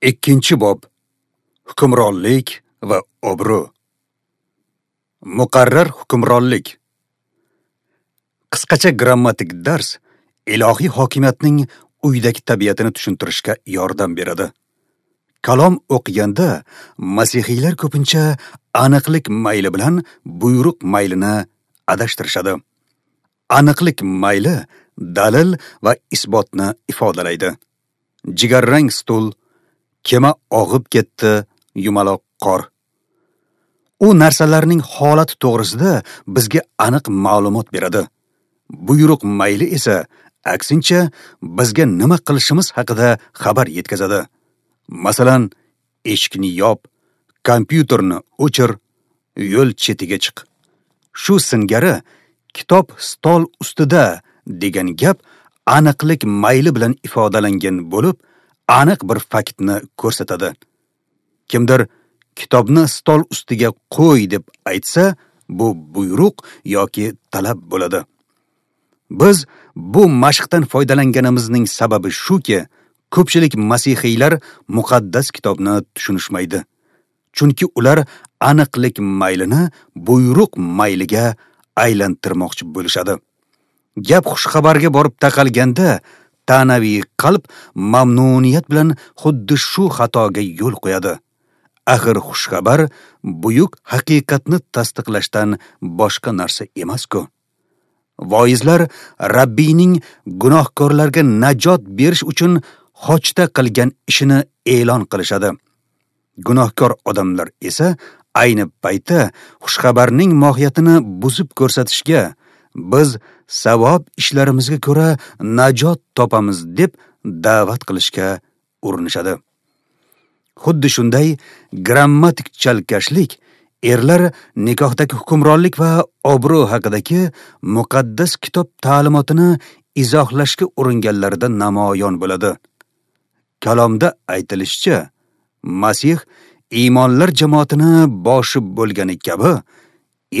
Ikkinchi bob. Hukmronlik va obro'. Muqarrar hukmronlik. Qisqacha grammatik dars ilohiy hokimiyatning uydagi tabiatini tushuntirishga yordam beradi. Kalom o'qiganda masihiylar ko'pincha aniqlik mayli bilan buyruq maylini adashtirishadi. Aniqlik mayli dalil va isbotni ifodalaydi. Jigarrang stul, kema og'ib ketdi, yumaloq qor. U narsalarning holati to'g'risida bizga aniq ma'lumot beradi. Buyruq mayli esa aksincha bizga nima qilishimiz haqida xabar yetkazadi. Masalan, eshikni yop, kompyuterni o'chir, yo'l chetiga chiq. Shu singari kitob stol ustida degan gap aniqlik mayli bilan ifodalangan bo'lib, aniq bir faktni ko'rsatadi. Kimdir kitobni stol ustiga qo'y deb aytsa, bu buyruq yoki talab bo'ladi. Biz bu mashqdan foydalanganimizning sababi shuki, ko'pchilik masihiylar muqaddas kitobni tushunishmaydi. Chunki ular aniqlik maylini buyruq mayliga aylantirmoqchi bo'lishadi. Gap xushxabarga borib taqalganda, ta'naviy qalb mamnuniyat bilan xuddi shu xatoga yo'l qo'yadi. Axir xushxabar buyuk haqiqatni tasdiqlashdan boshqa narsa emas-ku. Voizlar Rabbiyning gunohkorlarga najot berish uchun xochda qilgan ishini e'lon qilishadi. Gunohkor odamlar esa ayni paytda xushxabarning mohiyatini buzib ko'rsatishga, biz savob ishlarimizga ko'ra najot topamiz deb da'vat qilishga urinishadi. Xuddi shunday grammatik chalkashlik erlar nikohdagi hukmronlik va obro' haqidagi muqaddas kitob ta'limotini izohlashga uringanlarida namoyon bo'ladi. Kalomda aytilishicha, Masih iymonlar jamoatini boshi bo'lgani kabi,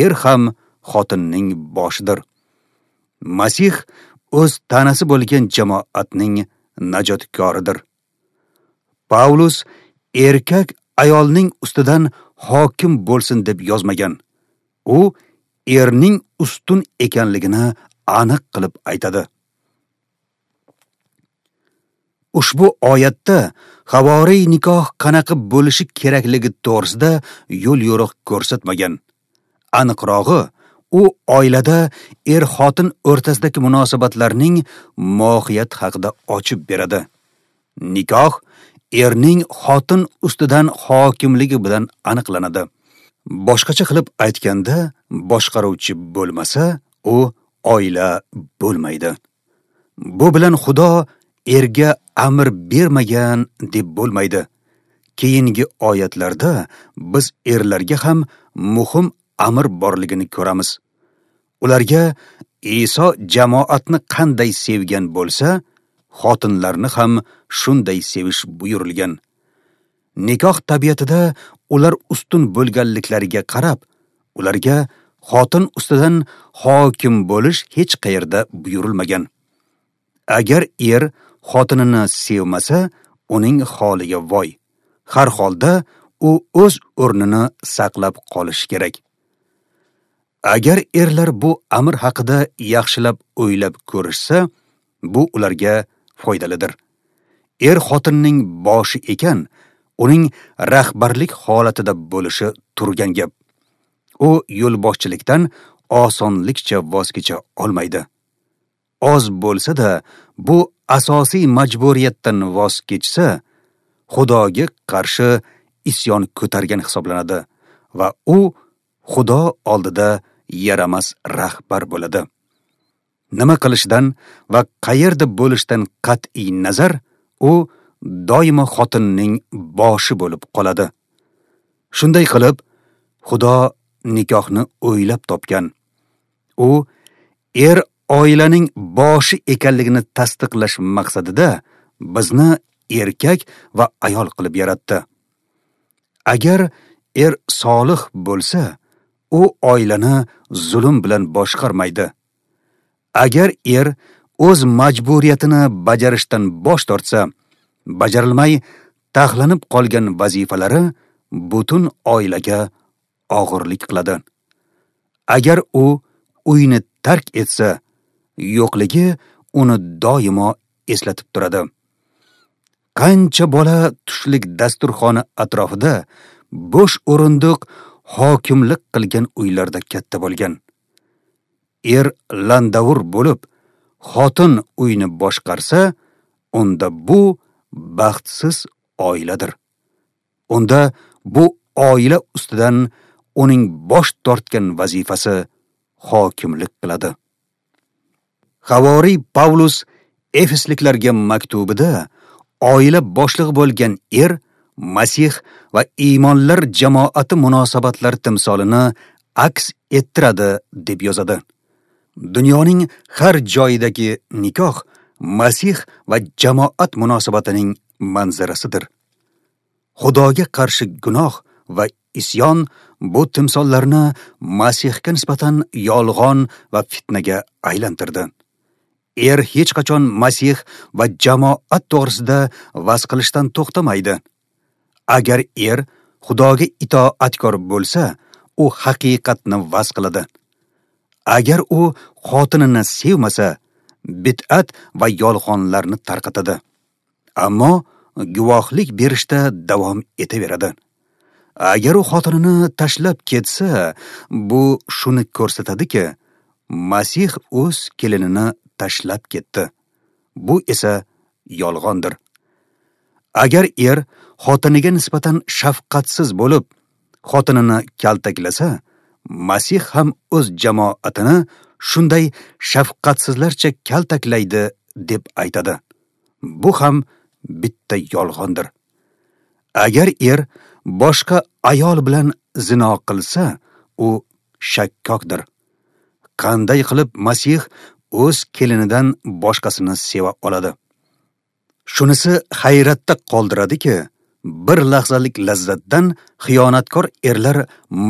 er ham xotinning boshidir. Masih o'z tanasi bo'lgan jamoatning najotkoridir. Paulus erkak ayolning ustidan hokim bo'lsin deb yozmagan. U erning ustun ekanligini aniq qilib aytadi. Ushbu oyatda havoriy nikoh qanaqa bo'lishi kerakligi to'g'risida yo'l-yo'riq ko'rsatmagan. Aniqrog'i, u oilada er-xotin o'rtasidagi munosabatlarning mohiyati haqida ochib beradi. Nikoh erning xotin ustidan hokimligi bilan aniqlanadi. Boshqacha qilib aytganda, boshqaruvchi bo'lmasa, u oila bo'lmaydi. Bu bilan Xudo erga amr bermagan deb bo'lmaydi. Keyingi oyatlarda biz erlarga ham muhim amr borligini ko'ramiz. Ularga Iso jamoatni qanday sevgan bo'lsa, xotinlarni ham shunday sevish buyurilgan. Nikoh tabiatida ular ustun bo'lganliklariga qarab, ularga xotin ustidan hokim bo'lish hech qayerda buyurilmagan. Agar er xotinini sevmasa, uning holiga voy. Har holda u o'z o'rnini saqlab qolishi kerak. Agar erlar bu amr haqida yaxshilab o'ylab ko'rishsa, bu ularga foydalidir. Er xotinning boshi ekan, uning rahbarlik holatida bo'lishi turgan gap. U yo'lboshchilikdan osonlikcha voz kecha olmaydi. Oz bo'lsa-da, bu asosiy majburiyatdan voz kechsa, Xudoga qarshi isyon ko'targan hisoblanadi va u Xudo oldida yaramas rahbar bo'ladi. Nima qilishidan va qayerda bo'lishidan qat'iy nazar, u doimo xotinning boshi bo'lib qoladi. Shunday qilib, Xudo nikohni o'ylab topgan. U er oilaning boshi ekanligini tasdiqlash maqsadida bizni erkak va ayol qilib yaratdi. Agar er solih bo'lsa, u oilani zulm bilan boshqarmaydi. Agar er o'z majburiyatini bajarishdan bosh tortsa, bajarilmay taxlanib qolgan vazifalari butun oilaga og'irlik qiladi. Agar u uyni tark etsa, yo'qligi uni doimo eslatib turadi. Qancha bola tushlik dasturxoni atrofida bo'sh o'rindiq hokimlik qilgan uylarda katta bo'lgan. Er landavur bo'lib, xotin uyni boshqarsa, unda bu baxtsiz oiladir. Unda bu oila ustidan uning bosh tortgan vazifasi hokimlik qiladi. Havoriy Pavlus Efesliklarga maktubida oila boshlig'i bo'lgan er Masih va iymonlar jamoati munosabatlari timsolini aks ettiradi deb yozadi. Dunyoning har joyidagi nikoh Masih va jamoat munosabatining manzarasidir. Xudoga qarshi gunoh va isyon bu timsollarni Masihga nisbatan yolg'on va fitnaga aylantirdi. Er hech qachon Masih va jamoat to'g'risida vaz qilishdan to'xtamaydi. Agar er Xudoga itoatkor bo'lsa, u haqiqatni vaz qiladi. Agar u xotinini sevmasa, bid'at va yolg'onlarni tarqatadi. Ammo guvohlik berishda davom etaveradi. Agar u xotinini tashlab ketsa, bu shuni ko'rsatadiki, Masih o'z kelinini tashlab ketdi. Bu esa yolg'ondir. Agar er xotiniga nisbatan shafqatsiz bo'lib, xotinini kaltaklasa, Masih ham o'z jamoatini shunday shafqatsizlarcha kaltaklaydi deb aytadi. Bu ham bitta yolg'ondir. Agar er boshqa ayol bilan zino qilsa, u shakkokdir. Qanday qilib Masih o'z kelinidan boshqasini seva oladi? Shunisi hayratda qoldiradiki, bir lahzalik lazzatdan xiyonatkor erlar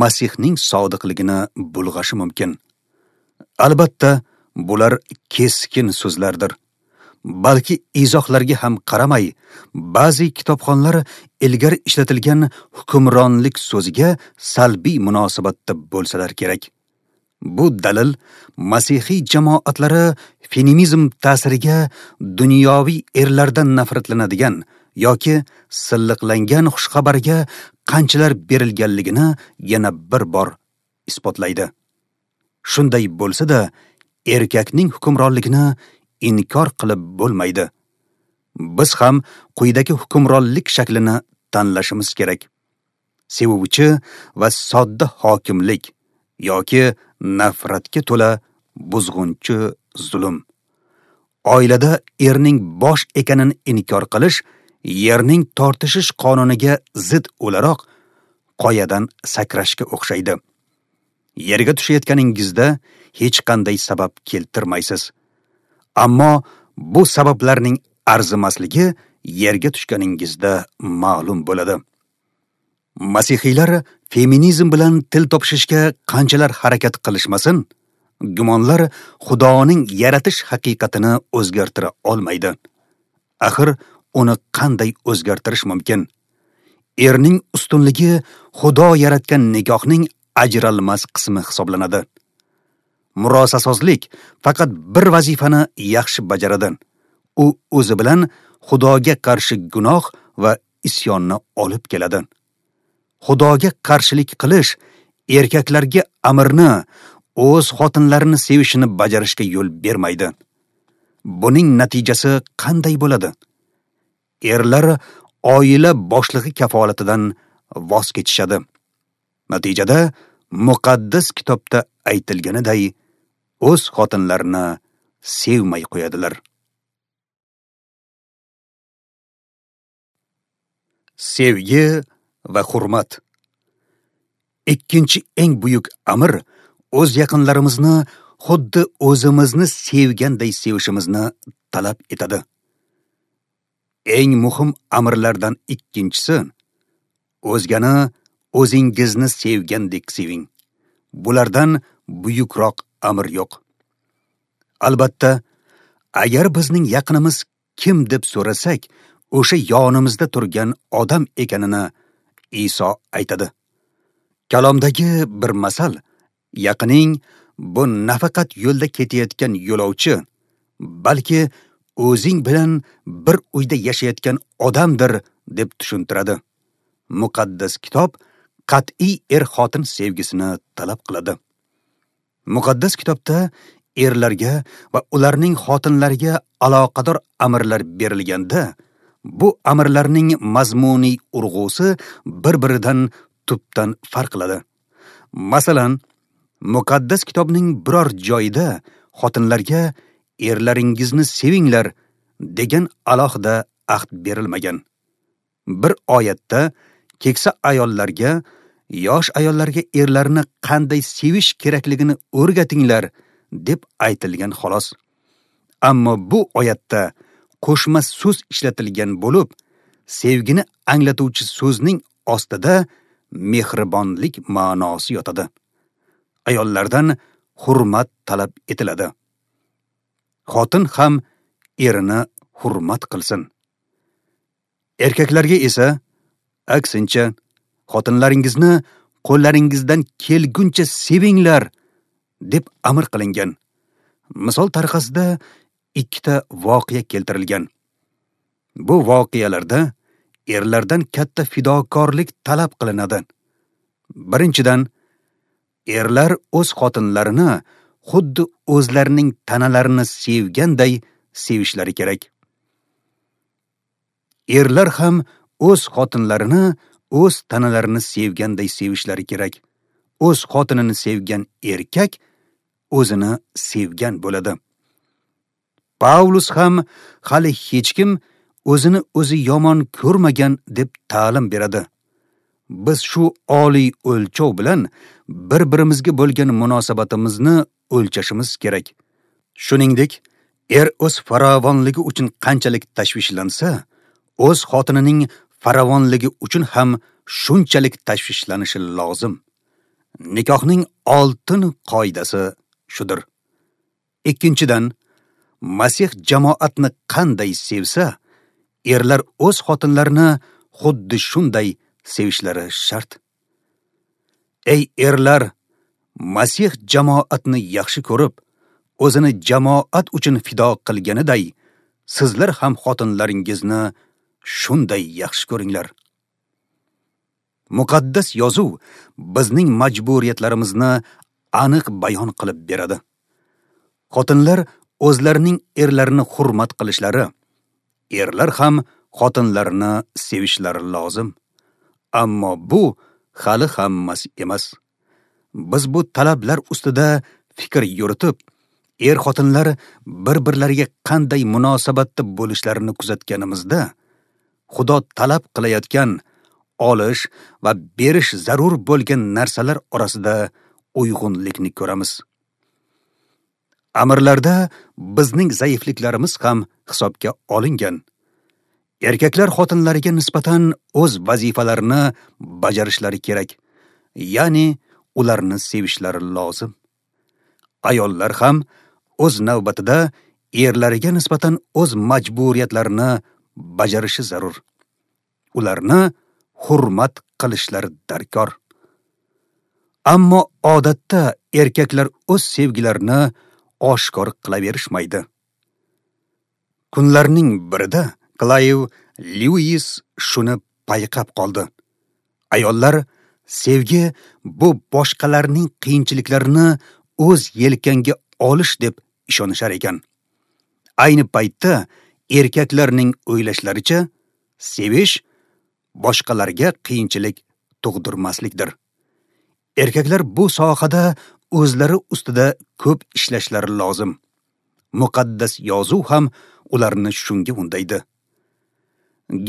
Masihning sodiqligini bulg'ashi mumkin. Albatta, bular keskin so'zlardir. Balki izohlarga ham qaramay, ba'zi kitobxonlar ilgari ishlatilgan hukmronlik so'ziga salbiy munosabatda bo'lsalar kerak. Bu dalil masihiy jamoatlari feminizm ta'siriga dunyoviy erlardan nafratlanadigan yoki silliqlangan xushxabarga qanchalar berilganligini yana bir bor isbotlaydi. Shunday bo'lsa-da, erkakning hukmronligini inkor qilib bo'lmaydi. Biz ham quyidagi hukmronlik shaklini tanlashimiz kerak. Sevuvchi va sodda hokimlik yoki nafratga to'la buzg'unchi zulm. Oilada erning bosh ekanini inkor qilish yerning tortishish qonuniga zid o'laroq qoyadan sakrashga o'xshaydi. Yerga tushayotganingizda hech qanday sabab keltirmaysiz. Ammo bu sabablarning arzimasligi yerga tushganingizda ma'lum bo'ladi. Masihiylar feminizm bilan til topishishga qanchalar harakat qilishmasin, gumonlar Xudoning yaratish haqiqatini o'zgartira olmaydi. Axir uni qanday o'zgartirish mumkin? Erning ustunligi Xudo yaratgan nikohning ajralmas qismi hisoblanadi. Murosasozlik faqat bir vazifani yaxshi bajaradi. U o'zi bilan Xudoga qarshi gunoh va isyonni olib keladi. Xudoga qarshilik qilish erkaklarga amrni, o'z xotinlarini sevishini bajarishga yo'l bermaydi. Buning natijasi qanday bo'ladi? Erlar oila boshlig'i kafolatidan voz kechishadi. Natijada muqaddas kitobda aytilganiday o'z xotinlarini sevmay qo'yadilar. Sevgi va hurmat. Ikkinchi eng buyuk amr o'z yaqinlarimizni xuddi o'zimizni sevganday sevishimizni talab etadi. Eng muhim amrlardan ikkinchisi o'zgani o'zingizni sevgandek seving. Bulardan buyukroq amr yo'q. Albatta, agar bizning yaqinimiz kim deb so'rasak, o'sha yonimizda turgan odam ekanini Iso aytadi. Kalomdagi bir masal yaqining bu nafaqat yo'lda ketayotgan yo'lovchi, balki o'zing bilan bir uyda yashayotgan odamdir deb tushuntiradi. Muqaddas kitob qat'iy er-xotin sevgisini talab qiladi. Muqaddas kitobda erlarga va ularning xotinlariga aloqador amrlar berilganda, bu amrlarning mazmuniy urg'usi bir-biridan tubdan farq qiladi. Masalan, Muqaddas kitobning biror joyida xotinlarga erlaringizni sevinglar degan alohida ahd berilmagan. Bir oyatda keksa ayollarga, yosh ayollarga erlarini qanday sevish kerakligini o'rgatinglar deb aytilgan xolos. Ammo bu oyatda qo'shma so'z ishlatilgan bo'lib, sevgini anglatuvchi so'zning ostida mehribonlik ma'nosi yotadi. Ayollardan hurmat talab etiladi. Xotin ham erini hurmat qilsin. Erkaklarga esa aksincha, xotinlaringizni qo'llaringizdan kelguncha sevinglar deb amr qilingan. Misol tariqasida ikkita voqea keltirilgan. Bu voqealarda erlardan katta fidokorlik talab qilinadi. Birinchidan, erlar o'z xotinlarini xuddi o'zlarining tanalarini sevganday sevishlari kerak. Erlar ham o'z xotinlarini o'z tanalarini sevganday sevishlari kerak. O'z xotinini sevgan erkak o'zini sevgan bo'ladi. Pavlus ham hali hech kim o'zini o'zi yomon ko'rmagan deb ta'lim beradi. Biz shu oliy o'lchov bilan bir-birimizga bo'lgan munosabatimizni o'lchashimiz kerak. Shuningdek, er o'z farovonligi uchun qanchalik tashvishlansa, o'z xotinining farovonligi uchun ham shunchalik tashvishlanishi lozim. Nikohning oltin qoidasi shudir. Ikkinchidan, Masih jamoatni qanday sevsa, erlar o'z xotinlarini xuddi shunday sevishlari shart. Ey erlar, Masih jamoatni yaxshi ko'rib, o'zini jamoat uchun fido qilganiday, sizlar ham xotinlaringizni shunday yaxshi ko'ringlar. Muqaddas yozuv bizning majburiyatlarimizni aniq bayon qilib beradi. Xotinlar o'zlarining erlarini hurmat qilishlari, erlar ham xotinlarini sevishlari lozim. Ammo bu hali hammasi emas. Biz bu talablar ustida fikr yuritib, er-xotinlar bir-birlariga qanday munosabatda bo'lishlarini kuzatganimizda, Xudo talab qilayotgan olish va berish zarur bo'lgan narsalar orasida uyg'unlikni ko'ramiz. Amirlarda bizning zaifliklarimiz ham hisobga olingan. Erkaklar xotinlariga nisbatan o'z vazifalarini bajarishlari kerak, ya'ni ularni sevishlari lozim. Ayollar ham o'z navbatida erlariga nisbatan o'z majburiyatlarini bajarishi zarur. Ularni hurmat qilishlari darkor. Ammo odatda erkaklar o'z sevgilarini oshkor qilaverishmaydi. Kunlarning birida Klayv Lewis shuni payqab qoldi. Ayollar sevgi bu boshqalarning qiyinchiliklarini o'z yelkangga olish deb ishonishar ekan. Ayni paytda erkaklarning o'ylashlaricha sevish boshqalarga qiyinchilik tug'dirmaslikdir. Erkaklar bu sohada o'zlari ustida ko'p ishlashlari lozim. Muqaddas yozuv ham ularni shunga undaydi.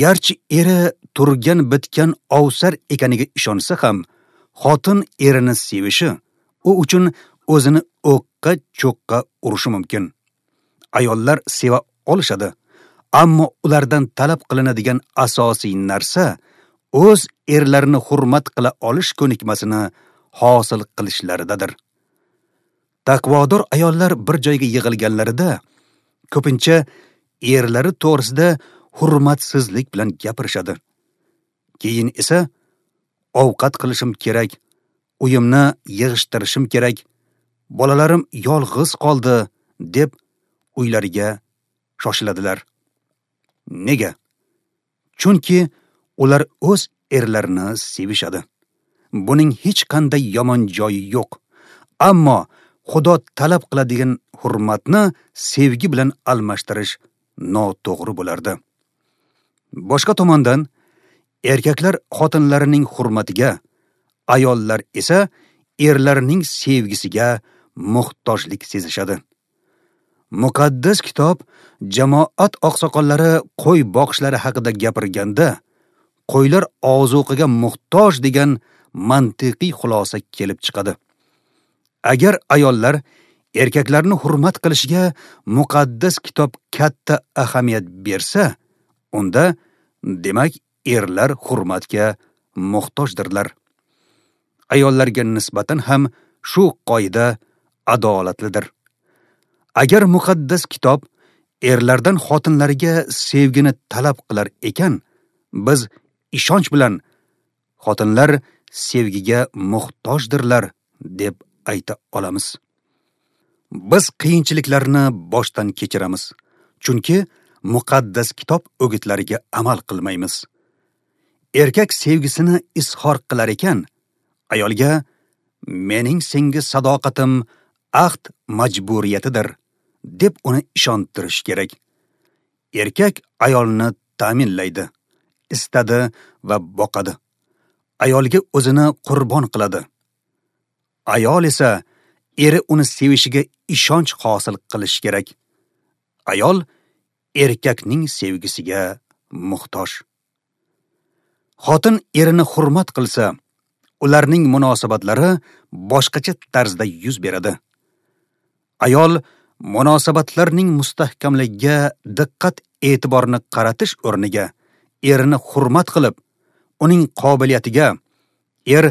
Garchi eri turgan bitgan ovsar ekaniga ishonsa ham, xotin erini sevishi u uchun o'zini o'qqa cho'qqa urishi mumkin. Ayollar seva olishadi, ammo ulardan talab qilinadigan asosiy narsa o'z erlarini hurmat qila olish ko'nikmasini hosil qilishlaridadir. Taqvodor ayollar bir joyga yig'ilganlarida ko'pincha erlari to'g'risida hurmatsizlik bilan gapirishadi. Keyin esa ovqat qilishim kerak, uyimni yig'ishtirishim kerak, bolalarim yolg'iz qoldi deb uylariga shoshiladilar. Nega? Chunki ular o'z erlarini sevishadi. Buning hech qanday yomon joyi yo'q. Ammo Xudo talab qiladigan hurmatni sevgi bilan almashtirish noto'g'ri bo'lardi. Boshqa tomondan, erkaklar xotinlarining hurmatiga, ayollar esa erlarining sevgisiga muhtojlik sezishadi. Muqaddas kitob jamoat oqsoqollari qo'y boqishlari haqida gapirganda, qo'ylar ozuqaga muhtoj degan mantiqiy xulosa kelib chiqadi. Agar ayollar erkaklarni hurmat qilishiga muqaddas kitob katta ahamiyat bersa, unda demak erlar hurmatga muhtojdirlar. Ayollarga nisbatan ham shu qoida adolatlidir. Agar muqaddas kitob erlardan xotinlarga sevgini talab qilar ekan, biz ishonch bilan xotinlar sevgiga muhtojdirlar deb ayta olamiz. Biz qiyinchiliklarni boshdan kechiramiz, chunki muqaddas kitob o'gitlariga amal qilmaymiz. Erkak sevgisini izhor qilar ekan, ayolga mening senga sadoqatim ahd majburiyatidir deb uni ishontirish kerak. Erkak ayolni ta'minlaydi, istadi va boqadi. Ayolga o'zini qurbon qiladi. Ayol esa eri uni sevishiga ishonch hosil qilish kerak. Ayol erkakning sevgisiga muhtoj. Xotin erini hurmat qilsa, ularning munosabatlari boshqacha tarzda yuz beradi. Ayol munosabatlarning mustahkamligiga diqqat e'tiborni qaratish o'rniga erini hurmat qilib, uning qobiliyatiga, er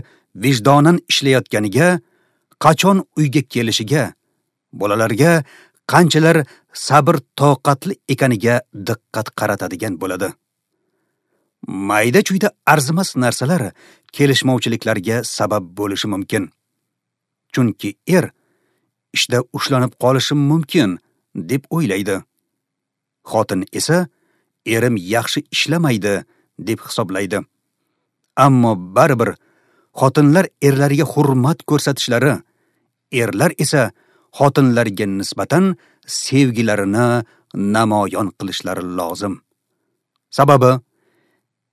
vijdonan ishlayotganiga, qachon uyga kelishiga, bolalarga qanchalar sabr toqatli ekaniga diqqat qaratadigan bo'ladi. Mayda-chuyda arzimas narsalar kelishmovchiliklarga sabab bo'lishi mumkin. Chunki er ishda ushlanib qolishim mumkin deb o'ylaydi. Xotin esa erim yaxshi ishlamaydi deb hisoblaydi. Ammo baribir xotinlar erlariga hurmat ko'rsatishlari, erlar esa xotinlarga nisbatan sevgilarini namoyon qilishlari lozim. Sababi,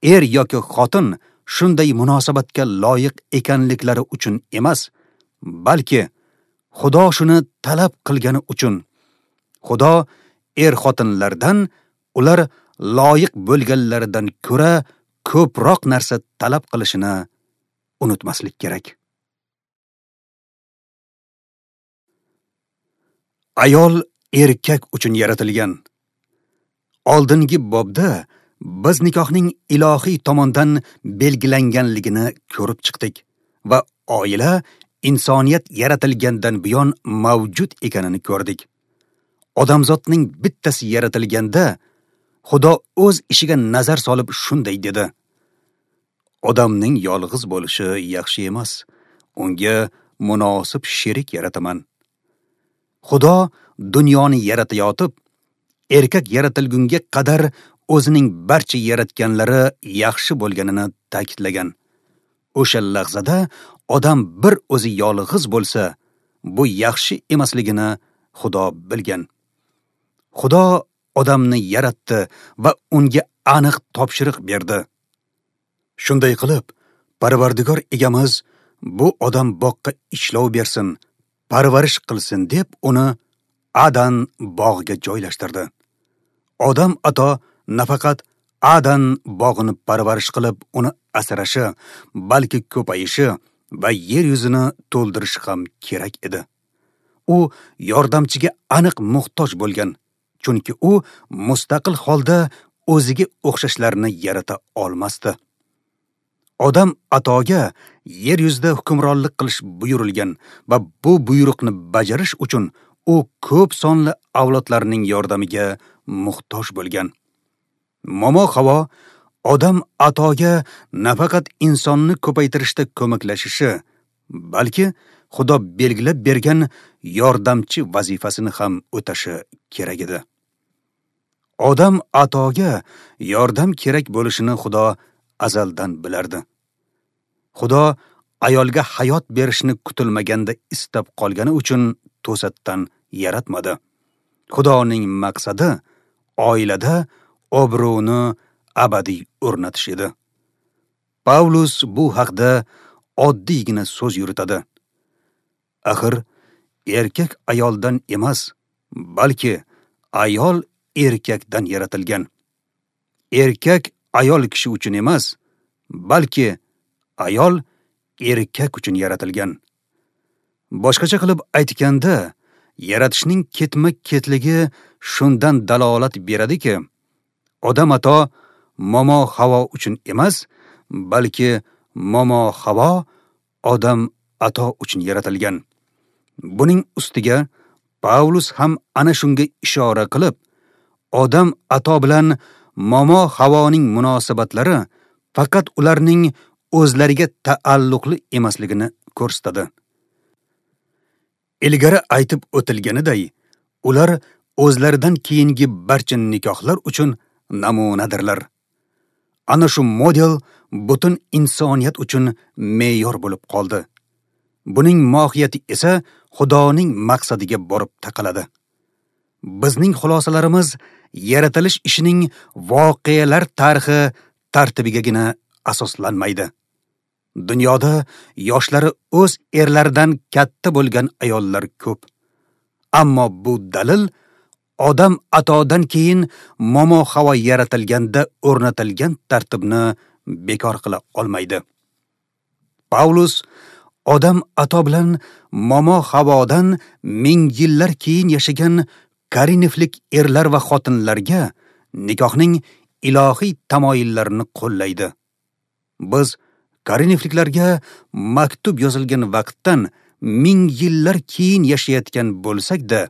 er yoki xotin shunday munosabatga loyiq ekanliklari uchun emas, balki Xudo shuni talab qilgani uchun. Xudo er-xotinlardan ular loyiq bo'lganlaridan ko'ra ko'proq narsa talab qilishini unutmaslik kerak. Ayol erkak uchun yaratilgan. Oldingi bobda biz nikohning ilohiy tomondan belgilanganligini ko'rib chiqdik va oila insoniyat yaratilgandan buyon mavjud ekanini ko'rdik. Odamzodning bittasi yaratilganda Xudo o'z ishiga nazar solib shunday dedi: Odamning yolg'iz bo'lishi yaxshi emas, unga munosib sherik yarataman. Xudo dunyoni yaratayotib, erkak yaratilgunga qadar o'zining barcha yaratganlari yaxshi bo'lganini ta'kidlagan. O'sha lahzada odam bir o'zi yolg'iz bo'lsa, bu yaxshi emasligini Xudo bilgan. Xudo odamni yaratdi va unga aniq topshiriq berdi. Shunday qilib, Parvardigor egamiz bu odam boqqa ishlov bersin, parvarish qilsin deb uni Adan bog'iga joylashtirdi. Odam ato nafaqat Adan bog'ini parvarish qilib uni asrashi, balki ko'payishi va yer yuzini to'ldirishi ham kerak edi. U yordamchiga aniq muhtoj bo'lgan, chunki u mustaqil holda o'ziga o'xshashlarni yarata olmasdi. Odam atoga yer yuzida hukmronlik qilish buyurilgan va bu buyruqni bajarish uchun u ko'p sonli avlodlarning yordamiga muhtoj bo'lgan. Momo Havo Odam atoga nafaqat insonni ko'paytirishda ko'maklashishi, balki Xudo belgilab bergan yordamchi vazifasini ham o'tashi kerak edi. Odam atoga yordam kerak bo'lishini Xudo azaldan bilardi. Xudo ayolga hayot berishni kutilmaganda istab qolgani uchun to'satdan yaratmadi. Xudoning maqsadi oilada obro'ni abadiy o'rnatish edi. Pavlus bu haqda oddiygina so'z yuritadi. Axir erkak ayoldan emas, balki ayol erkakdan yaratilgan. Erkak ayol kishi uchun emas, balki ayol erkak uchun yaratilgan. Boshqacha qilib aytganda, yaratishning ketma-ketligi shundan dalolat beradiki, Odam ato Momo Havo uchun emas, balki Momo Havo Odam ato uchun yaratilgan. Buning ustiga Pavlus ham ana shunga ishora qilib, Odam ato bilan Momo Havoning munosabatlari faqat ularning o'zlariga taalluqli emasligini ko'rsatadi. Ilgari aytib o'tilganiday, ular o'zlaridan keyingi barcha nikohlar uchun namunadirlar. Ana shu model butun insoniyat uchun me'yor bo'lib qoldi. Buning mohiyati esa Xudoning maqsadiga borib taqaladi. Bizning xulosalarimiz yaratilish ishining voqealar tarixi tartibigagina asoslanmaydi. Dunyoda yoshlari o'z erlaridan katta bo'lgan ayollar ko'p. Ammo bu dalil Odam atodan keyin Momo Havo yaratilganda o'rnatilgan tartibni bekor qila olmaydi. Pavlus Odam ato bilan Momo Havodan ming yillar keyin yashagan Korinflik erlar va xotinlarga nikohning ilohiy tamoyillarini qo'llaydi. Biz Korinfliklarga maktub yozilgan vaqtdan ming yillar keyin yashayotgan bo'lsak-da,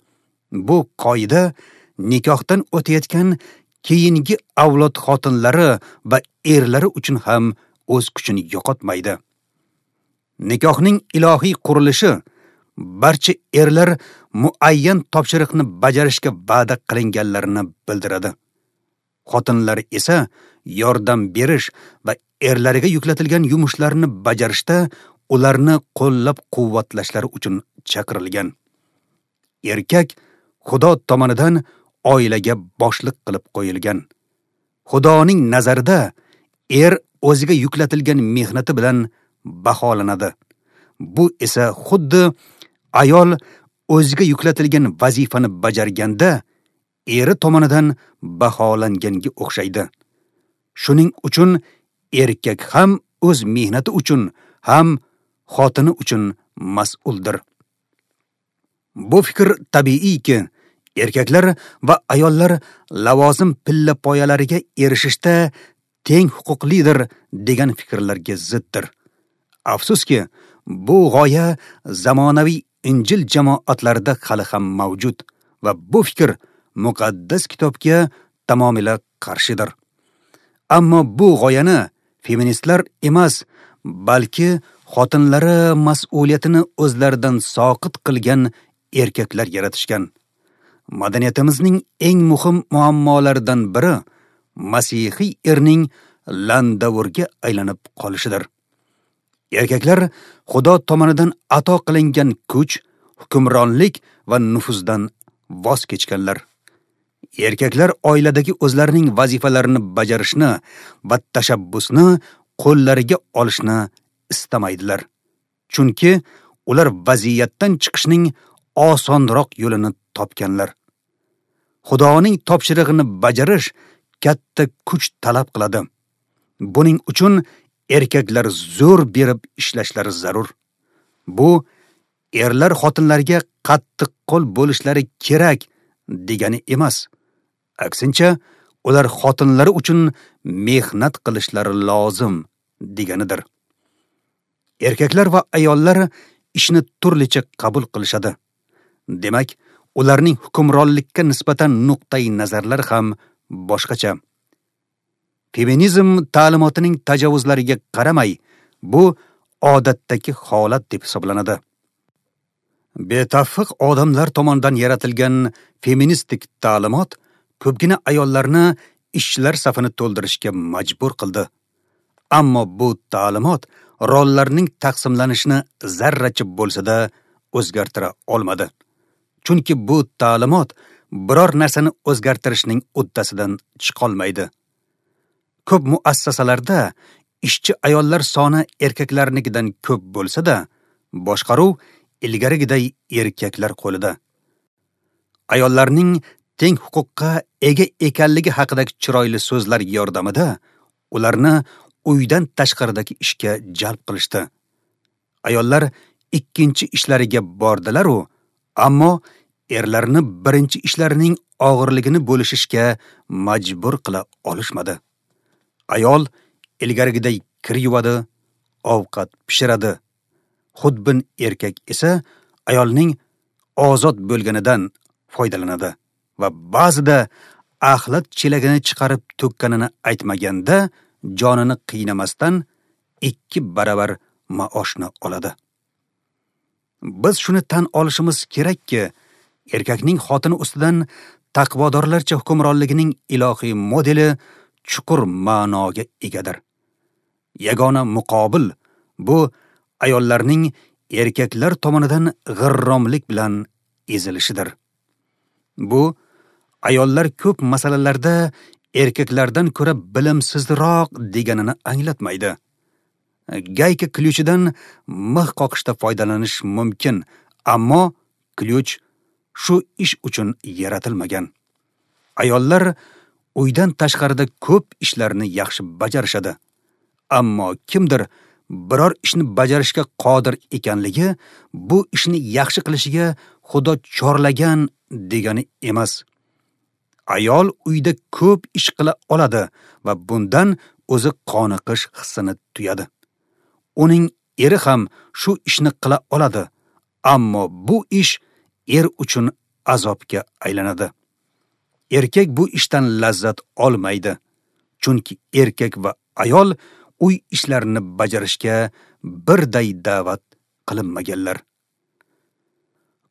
bu qoida nikohdan o'tayotgan keyingi avlod xotinlari va erlari uchun ham o'z kuchini yo'qotmaydi. Nikohning ilohiy qurilishi barcha erlar muayyan topshiriqni bajarishga va'da qilinganlarini bildiradi. Xotinlar esa yordam berish va erlariga yuklatilgan yumushlarni bajarishda ularni qo'llab-quvvatlashlari uchun chaqirilgan. Erkak Xudo tomonidan oilaga boshliq qilib qo'yilgan. Xudoning nazarida er o'ziga yuklatilgan mehnati bilan baholanadi. Bu esa xuddi ayol o'ziga yuklatilgan vazifani bajarganda eri tomonidan baholanganga o'xshaydi. Shuning uchun erkak ham o'z mehnati uchun, ham xotini uchun mas'uldir. Bu fikr tabiiyki, erkaklar va ayollar lavozim pilla poyalariga erishishda teng huquqlidir degan fikrlarga ziddir. Afsuski, bu g'oya zamonaviy Injil jamoatlarida hali ham mavjud va bu fikr muqaddas kitobga tamomila qarshidir. Ammo bu g'oyani feministlar emas, balki xotinlari mas'uliyatini o'zlaridan soqit qilgan erkaklar yaratishgan. Madaniyatimizning eng muhim muammolaridan biri masihiy erning landavurga aylanib qolishidir. Erkaklar Xudo tomonidan ato qilingan kuch, hukmronlik va nufuzdan voz kechganlar. Erkaklar oiladagi o'zlarining vazifalarini bajarishni va tashabbusni qo'llariga olishni istamaydilar. Chunki ular vaziyatdan chiqishning osonroq yo'lini topganlar. Xudoning topshirig'ini bajarish katta kuch talab qiladi. Buning uchun erkaklar zo'r berib ishlashlari zarur. Bu erlar xotinlarga qattiq qo'l bo'lishlari kerak degani emas. Aksincha, ular xotinlari uchun mehnat qilishlari lozim deganidir. Erkaklar va ayollar ishni turlicha qabul qilishadi. Demak, ularning hukmronlikka nisbatan nuqtai nazarlari ham boshqacha. Feminizm ta'limotining tajovuzlariga qaramay, bu odatdagi holat deb hisoblanadi. Betavfiq odamlar tomonidan yaratilgan feministik ta'limot ko'pgina ayollarni ishchilar safini to'ldirishga majbur qildi. Ammo bu ta'limot rollarning taqsimlanishini zarracha bo'lsa-da o'zgartira olmadi. Chunki bu ta'limot biror narsani o'zgartirishning uddasidan chiqolmaydi. Ko'p muassasalarda ishchi ayollar soni erkaklarnikidan ko'p bo'lsa-da, boshqaruv ilgarigiday erkaklar qo'lida. Ayollarning teng huquqqa ega ekanligi haqidagi chiroyli so'zlar yordamida ularni uydan tashqaridagi ishga jalb qilishdi. Ayollar ikkinchi ishlariga bordilar-u, ammo erlarni birinchi ishlarining og'irligini bo'lishishga majbur qila olishmadi. Ayol ilgarigiday kir yuvadi, ovqat pishiradi. Xudbin erkak esa ayolning ozod bo'lganidan foydalanadi va ba'zida axlat chelagini chiqarib to'kkanini aytmaganda jonini qiynamasdan 2 baravar maoshni oladi. Biz shuni tan olishimiz kerakki, erkakning xotini ustidan taqvodorlarcha hukmronligining ilohiy modeli chuqur ma'noga egadir. Yagona muqobil bu ayollarning erkaklar tomonidan g'irromlik bilan ezilishidir. Bu ayollar ko'p masalalarda erkaklardan ko'ra bilimsizroq deganini anglatmaydi. Gayka klyuchidan mix qoqishda foydalanish mumkin, ammo klyuch shu ish uchun yaratilmagan. Ayollar uydan tashqarida ko'p ishlarni yaxshi bajarishadi. Ammo kimdir biror ishni bajarishga qodir ekanligi bu ishni yaxshi qilishiga Xudo chorlagan degani emas. Ayol uyda ko'p ish qila oladi va bundan o'zi qoniqish hissini tuyadi. Uning eri ham shu ishni qila oladi, ammo bu ish er uchun azobga aylanadi. Erkak bu ishdan lazzat olmaydi, chunki erkak va ayol uy ishlarini bajarishga birday da'vat qilinmaganlar.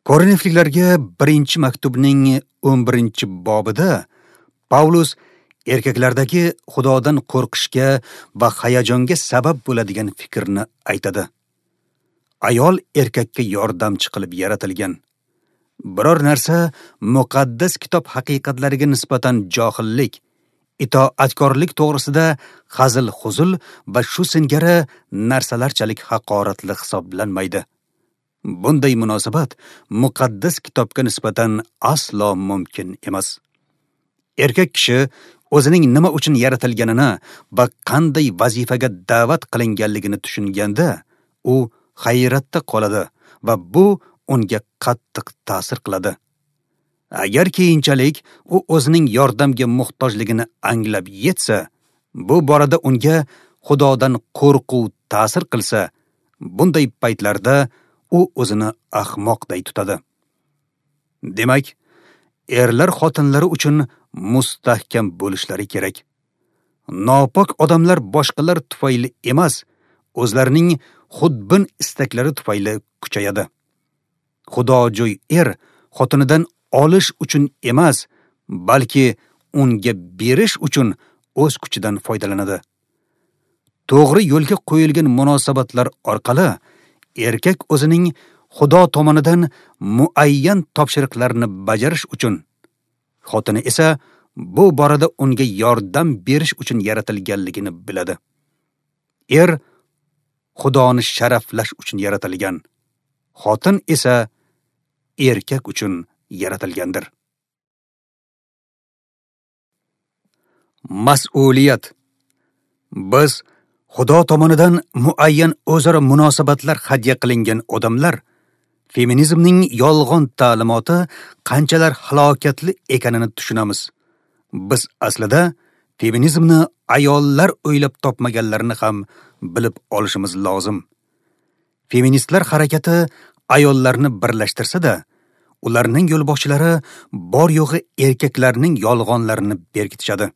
Korinfliklarga 1-maktubning 11-bobida Pavlus erkaklardagi Xudodan qo'rqishga va hayajonga sabab bo'ladigan fikrni aytadi. Ayol erkakka yordamchi qilib yaratilgan. Biror narsa muqaddas kitob haqiqatlariga nisbatan johillik, itoatkorlik to'g'risida hazil-huzul va shu singari narsalarchalik haqoratli hisoblanmaydi. Bunday munosabat muqaddas kitobga nisbatan aslo mumkin emas. Erkak kishi o'zining nima uchun yaratilganini va qanday vazifaga da'vat qilinganligini tushunganda, u hayratda qoladi va bu unga qattiq ta'sir qiladi. Agar keyinchalik u o'zining yordamga muhtojligini anglab yetsa, bu borada unga Xudodan qo'rquv ta'sir qilsa, bunday paytlarda u o'zini ahmoqday tutadi. Demak, erlar xotinlari uchun mustahkam bo'lishlari kerak. Nopok odamlar boshqalar tufayli emas, o'zlarining xudbin istaklari tufayli kuchayadi. Xudojo'y er xotinidan olish uchun emas, balki unga berish uchun o'z kuchidan foydalanadi. To'g'ri yo'lga qo'yilgan munosabatlar orqali erkak o'zining Xudo tomonidan muayyan topshiriqlarni bajarish uchun, xotini esa bu borada unga yordam berish uchun yaratilganligini biladi. Er Xudoni sharaflash uchun yaratilgan, xotin esa erkak uchun yaratilgandir. Mas'uliyat. Biz Xudo tomonidan muayyan o'zaro munosabatlar hadya qilingan odamlar feminizmning yolg'on ta'limoti qanchalar halokatli ekanini tushunamiz. Biz aslida feminizmni ayollar o'ylab topmaganlarini ham bilib olishimiz lozim. Feministlar harakati ayollarni birlashtirsa-da, ularning yo'lboshchilari bor yo'g'i erkaklarning yolg'onlarini berkitishadi.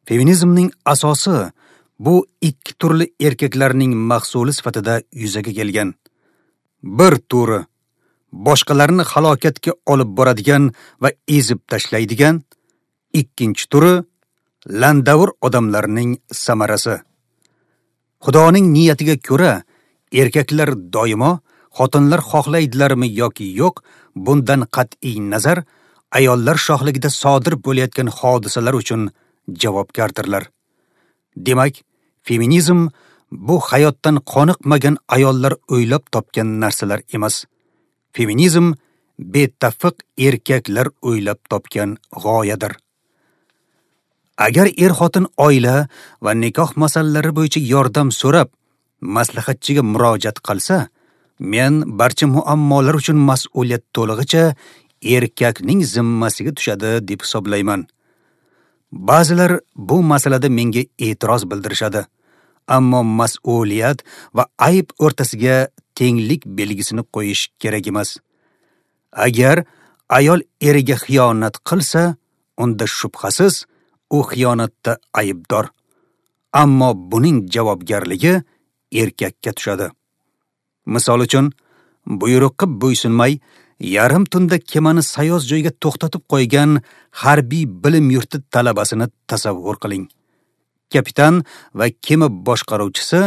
Feminizmning asosi bu ikki turli erkaklarning mahsuli sifatida yuzaga kelgan. Bir turi boshqalarni halokatga olib boradigan va ezib tashlaydigan, ikkinchi turi landavur odamlarning samarasi. Xudoning niyatiga ko'ra, erkaklar doimo xotinlar xohlaydilarmi yoki yo'q, bundan qat'iy nazar ayollar shohligida sodir bo'layotgan hodisalar uchun javobgardirlar. Demak, feminizm bu hayotdan qoniqmagan ayollar o'ylab topgan narsalar emas. Feminizm betafiq erkaklar o'ylab topgan g'oyadir. Agar er-xotin oila va nikoh masalalari bo'yicha yordam so'rab, maslahatchiga murojaat qilsa, men barcha muammolar uchun mas'uliyat to'lig'icha erkakning zimmasiga tushadi deb hisoblayman. Ba'zilar bu masalada menga e'tiroz bildirishadi. Ammo mas'uliyat va ayb o'rtasiga tenglik belgisini qo'yish kerak emas. Agar ayol eriga xiyonat qilsa, unda shubhasiz u xiyonatda aybdor. Ammo buning javobgarligi erkakka tushadi. Misol uchun, buyruqqa bo'ysunmay, yarim tunda kemani sayoz joyga to'xtatib qo'ygan harbiy bilim yurti talabasini tasavvur qiling. Kapitan va kema boshqaruvchisi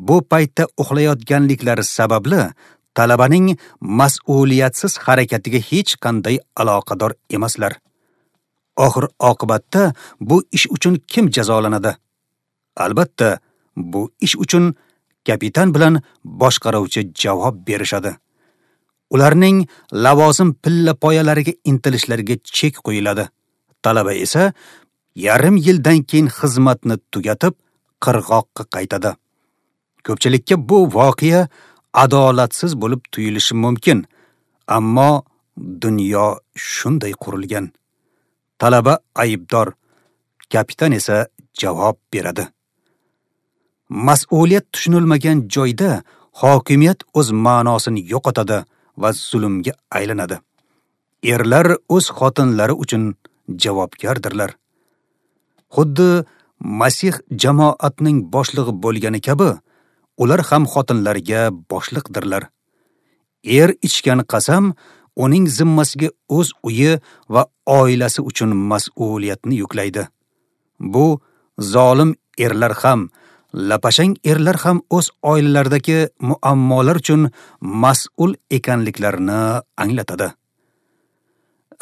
bu paytda uxlayotganliklari sababli talabaning mas'uliyatsiz harakatiga hech qanday aloqador emaslar. Oxir oqibatda bu ish uchun kim jazolanadi? Albatta, bu ish uchun kapitan bilan boshqaruvchi javob berishadi. Ularning lavozim pilla poyalariga intilishlariga chek qo'yiladi. Talaba esa yarim yildan keyin xizmatni tugatib, qirg'oqqa qaytadi. Ko'pchilikka bu voqea adolatsiz bo'lib tuyulishi mumkin, ammo dunyo shunday qurilgan. Talaba aybdor, kapitan esa javob beradi. Mas'uliyat tushunilmagan joyda hokimiyat o'z ma'nosini yo'qotadi va zulmga aylanadi. Erlar o'z xotinlari uchun javobgardirlar. Xuddi Masih jamoatning boshlig'i bo'lgani kabi, ular ham xotinlarga boshliqdirlar. Er ichgan qasam uning zimmasiga o'z uyi va oilasi uchun mas'uliyatni yuklaydi. Bu zolim erlar ham, lapashang erlar ham o'z oilalaridagi muammolar uchun mas'ul ekanliklarini anglatadi.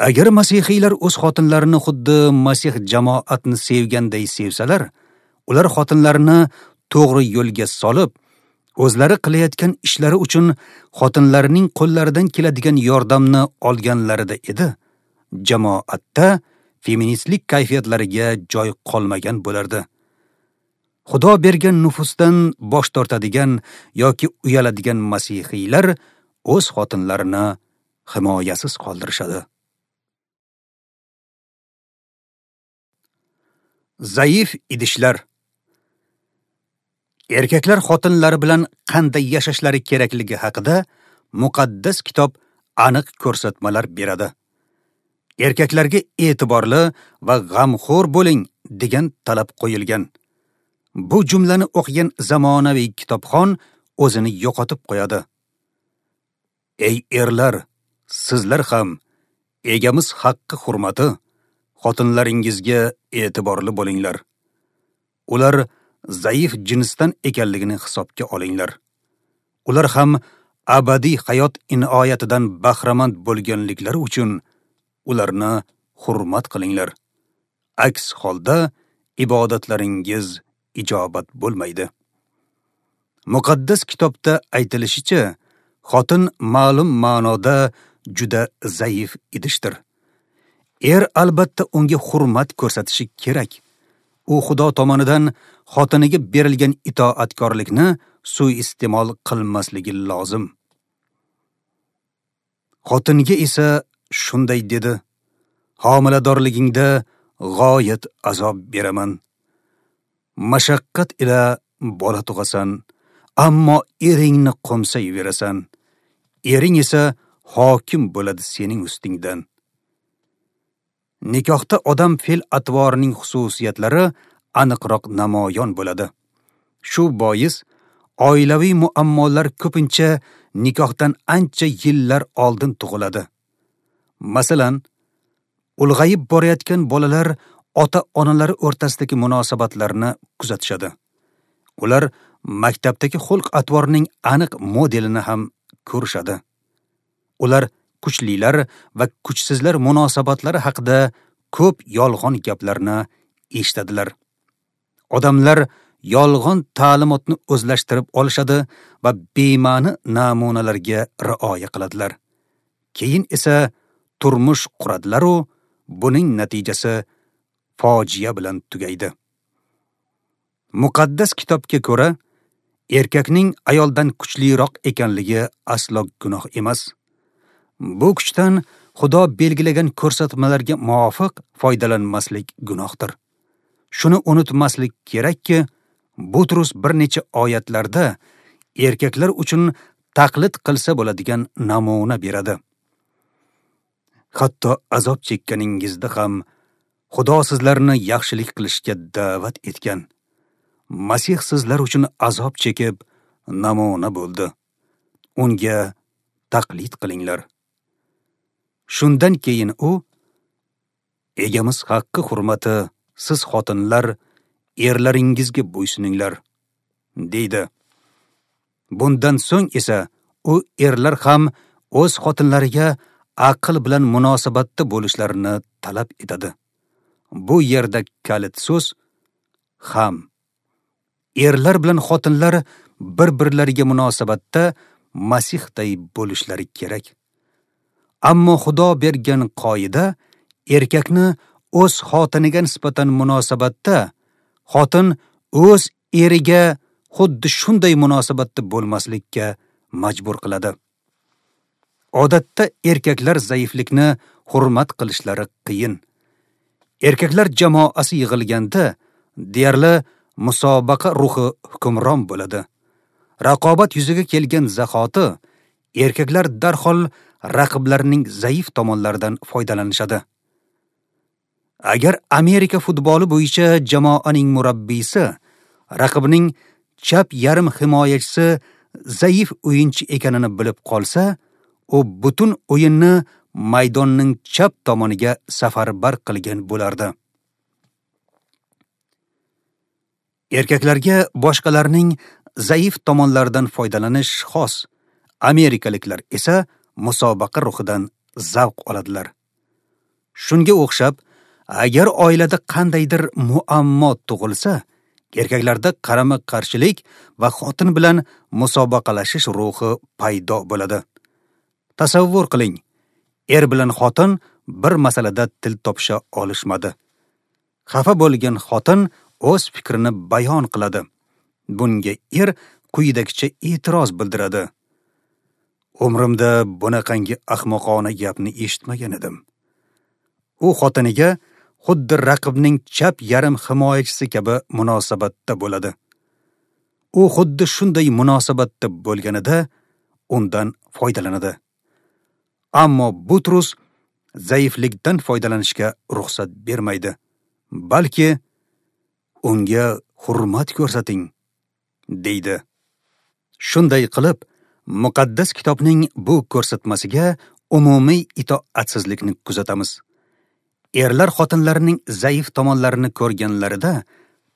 Agar masihiylar o'z xotinlarini xuddi Masih jamoatni sevganday sevsalar, ular xotinlarini to'g'ri yo'lga solib, o'zlari qilayotgan ishlari uchun xotinlarining qo'llaridan keladigan yordamni olganlarida edi, jamoatda feministlik kayfiyatlariga joy qolmagan bo'lardi. Xudo bergan nufusdan bosh tortadigan yoki uyaladigan masihiylar o'z xotinlarini himoyasiz qoldirishadi. Zaif idishlar. Erkaklar xotinlari bilan qanday yashashlari kerakligi haqida muqaddas kitob aniq ko'rsatmalar beradi. Erkaklarga e'tiborli va g'amxo'r bo'ling degan talab qo'yilgan. Bu jumlani o'qigan zamonaviy kitobxon o'zini yo'qotib qo'yadi. Ey erlar, sizlar ham egamiz haqqi hurmati xotinlaringizga e'tiborli bo'linglar. Ular zaif jinsdan ekanligini hisobga olinglar. Ular ham abadiy hayot inoyatidan bahramand bo'lganliklari uchun ularni hurmat qilinglar. Aks holda ibodatlaringiz ijobat bo'lmaydi. Muqaddas kitobda aytilishicha, xotin ma'lum ma'noda juda zaif idishdir. Er albatta unga hurmat ko'rsatishi kerak. U Xudo tomonidan xotiniga berilgan itoatkorlikni suiiste'mol qilmasligi lozim. Xotinga esa shunday dedi: homiladorligingda g'oyat azob beraman. Mashaqqat ila bola tug'asan, ammo eringni qo'msayverasan. Ering esa hokim bo'ladi sening ustingdan. Nikohda odam fe'l-atvorining xususiyatlari aniqroq namoyon bo'ladi. Shu bois oilaviy muammolar ko'pincha nikohdan ancha yillar oldin tug'iladi. Masalan, ulg'ayib borayotgan bolalar ota-onalari o'rtasidagi munosabatlarni kuzatishadi. Ular maktabdagi xulq-atvorning aniq modelini ham ko'rishadi. Ular kuchlilar va kuchsizlar munosabatlari haqida ko'p yolg'on gaplarni eshitadilar. Odamlar yolg'on ta'limotni o'zlashtirib olishadi va bema'ni namunalarga rioya qiladilar. Keyin esa turmush quradilar-u, buning natijasi fojia bilan tugaydi. Muqaddas kitobga ko'ra, erkakning ayoldan kuchliroq ekanligi aslo gunoh emas. Bu kuchdan Xudo belgilagan ko'rsatmalarga muvofiq foydalanmaslik gunohdir. Shuni unutmaslik kerakki, Butrus bir necha oyatlarda erkaklar uchun taqlid qilsa bo'ladigan namuna beradi. Hatto azob chekkaningizda ham Xudo sizlarni yaxshilik qilishga da'vat etgan. Masih sizlar uchun azob chekib namuna bo'ldi. Unga taqlid qilinglar. Shundan keyin u egamiz haqqi hurmati siz xotinlar erlaringizga bo'ysuninglar, deydi. Bundan so'ng esa u erlar ham o'z xotinlariga aql bilan munosabatda bo'lishlarini talab etadi. Bu yerda kalit so'z ham. Erlar bilan xotinlar bir-birlariga munosabatda Masihday bo'lishlari kerak. Ammo Xudo bergan qoida erkakni o'z xotiniga nisbatan munosabatda, xotin o'z eriga xuddi shunday munosabatda bo'lmaslikka majbur qiladi. Odatda erkaklar zaiflikni hurmat qilishlari qiyin. Erkaklar jamoasi yig'ilganda deyarli musobaqa ruhi hukmron bo'ladi. Raqobat yuzaga kelgan zahoti erkaklar darhol raqiblarning zaif tomonlaridan foydalanishadi. Agar Amerika futboli bo'yicha jamoaning murabbiysi raqibning chap yarim himoyachisi zaif o'yinchi ekanini bilib qolsa, u butun o'yinni maydonning chap tomoniga safarbar qilgan bo'lardi. Erkaklarga boshqalarning zaif tomonlaridan foydalanish xos. Amerikaliklar esa musobaqa ruhidan zavq oladilar. Shunga o'xshab, agar oilada qandaydir muammo tug'ilsa, erkaklarda qarama-qarshilik va xotin bilan musobaqalashish ruhi paydo bo'ladi. Tasavvur qiling, er bilan xotin bir masalada til topisha olishmadi. Xafa bo'lgan xotin o'z fikrini bayon qiladi. Bunga er quyidagicha e'tiroz bildiradi. Umrimda bunaqangi ahmoqona gapni eshitmagan edim. U xotiniga xuddi raqibning chap yarim himoyachisi kabi munosabatda bo'ladi. U xuddi shunday munosabatda bo'lganida undan foydalanadi. Ammo Butrus zaiflikdan foydalanishga ruxsat bermaydi, balki unga hurmat ko'rsating, deydi. Shunday qilib, muqaddas kitobning bu ko'rsatmasiga umumiy itoatsizlikni kuzatamiz. Erlar xotinlarining zaif tomonlarini ko'rganlarida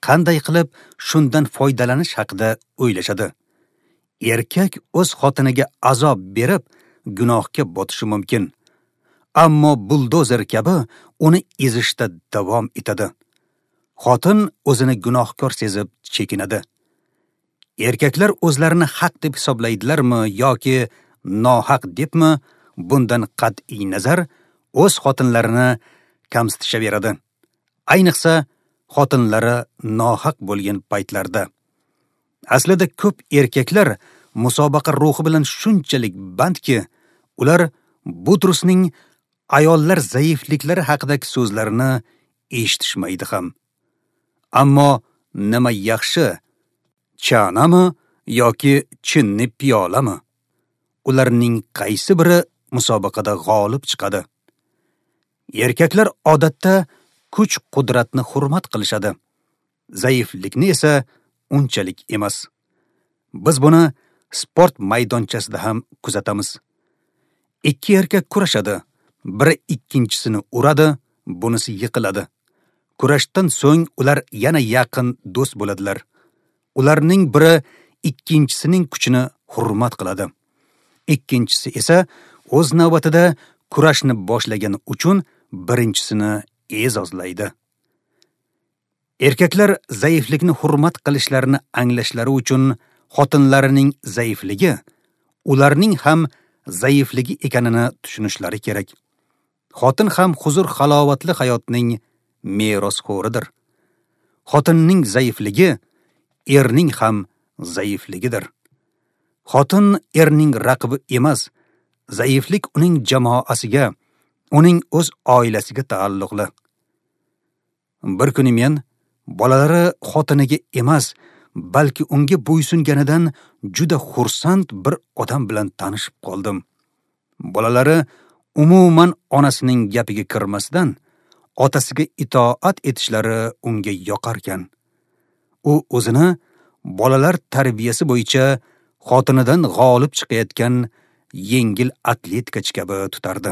qanday qilib shundan foydalanish haqida o'ylashadi. Erkak o'z xotiniga azob berib gunohga botishi mumkin. Ammo buldozer kabi uni ezishda davom etadi. Xotin o'zini gunohkor sezib chekinadi. Erkaklar o'zlarini haq deb hisoblaydilarmi yoki nohaq debmi, bundan qat'iy nazar o'z xotinlarini kamsitishaveradi. Ayniqsa xotinlari nohaq bo'lgan paytlarda. Aslida ko'p erkaklar musobaqa ruhi bilan shunchalik bandki, ular Butrusning ayollar zaifliklari haqidagi so'zlarini eshitishmaydi ham. Ammo nima yaxshi, chanami yoki chinni piyolami? Ularning qaysi biri musobaqada g'olib chiqadi? Erkaklar odatda kuch-qudratni hurmat qilishadi. Zaiflikni esa unchalik emas. Biz buni sport maydonchasida ham kuzatamiz. Ikki erkak kurashadi, biri ikkinchisini uradi, bunisi yiqiladi. Kurashdan so'ng ular yana yaqin do'st bo'ladilar. Ularning biri ikkinchisining kuchini hurmat qiladi. Ikkinchisi esa o'z navbatida kurashni boshlagani uchun birinchisini e'zozlaydi. Erkaklar zaiflikni hurmat qilishlarini anglashlari uchun xotinlarining zaifligi ularning ham zaifligi ekanini tushunishlari kerak. Xotin ham huzur-halovatli hayotning merosxo'ridir. Xotinning zaifligi erning ham zaifligidir. Xotin erning raqibi emas, zaiflik uning jamoasiga, uning o'z oilasiga taalluqli. Bir kuni men bolalari xotiniga emas, balki unga bo'ysunganidan juda xursand bir odam bilan tanishib qoldim. Bolalari umuman onasining gapiga kirmasdan, otasiga itoat etishlari unga yoqarkan. U o'zini bolalar tarbiyasi bo'yicha xotinidan g'olib chiqayotgan yengil atletikachi kabi tutardi.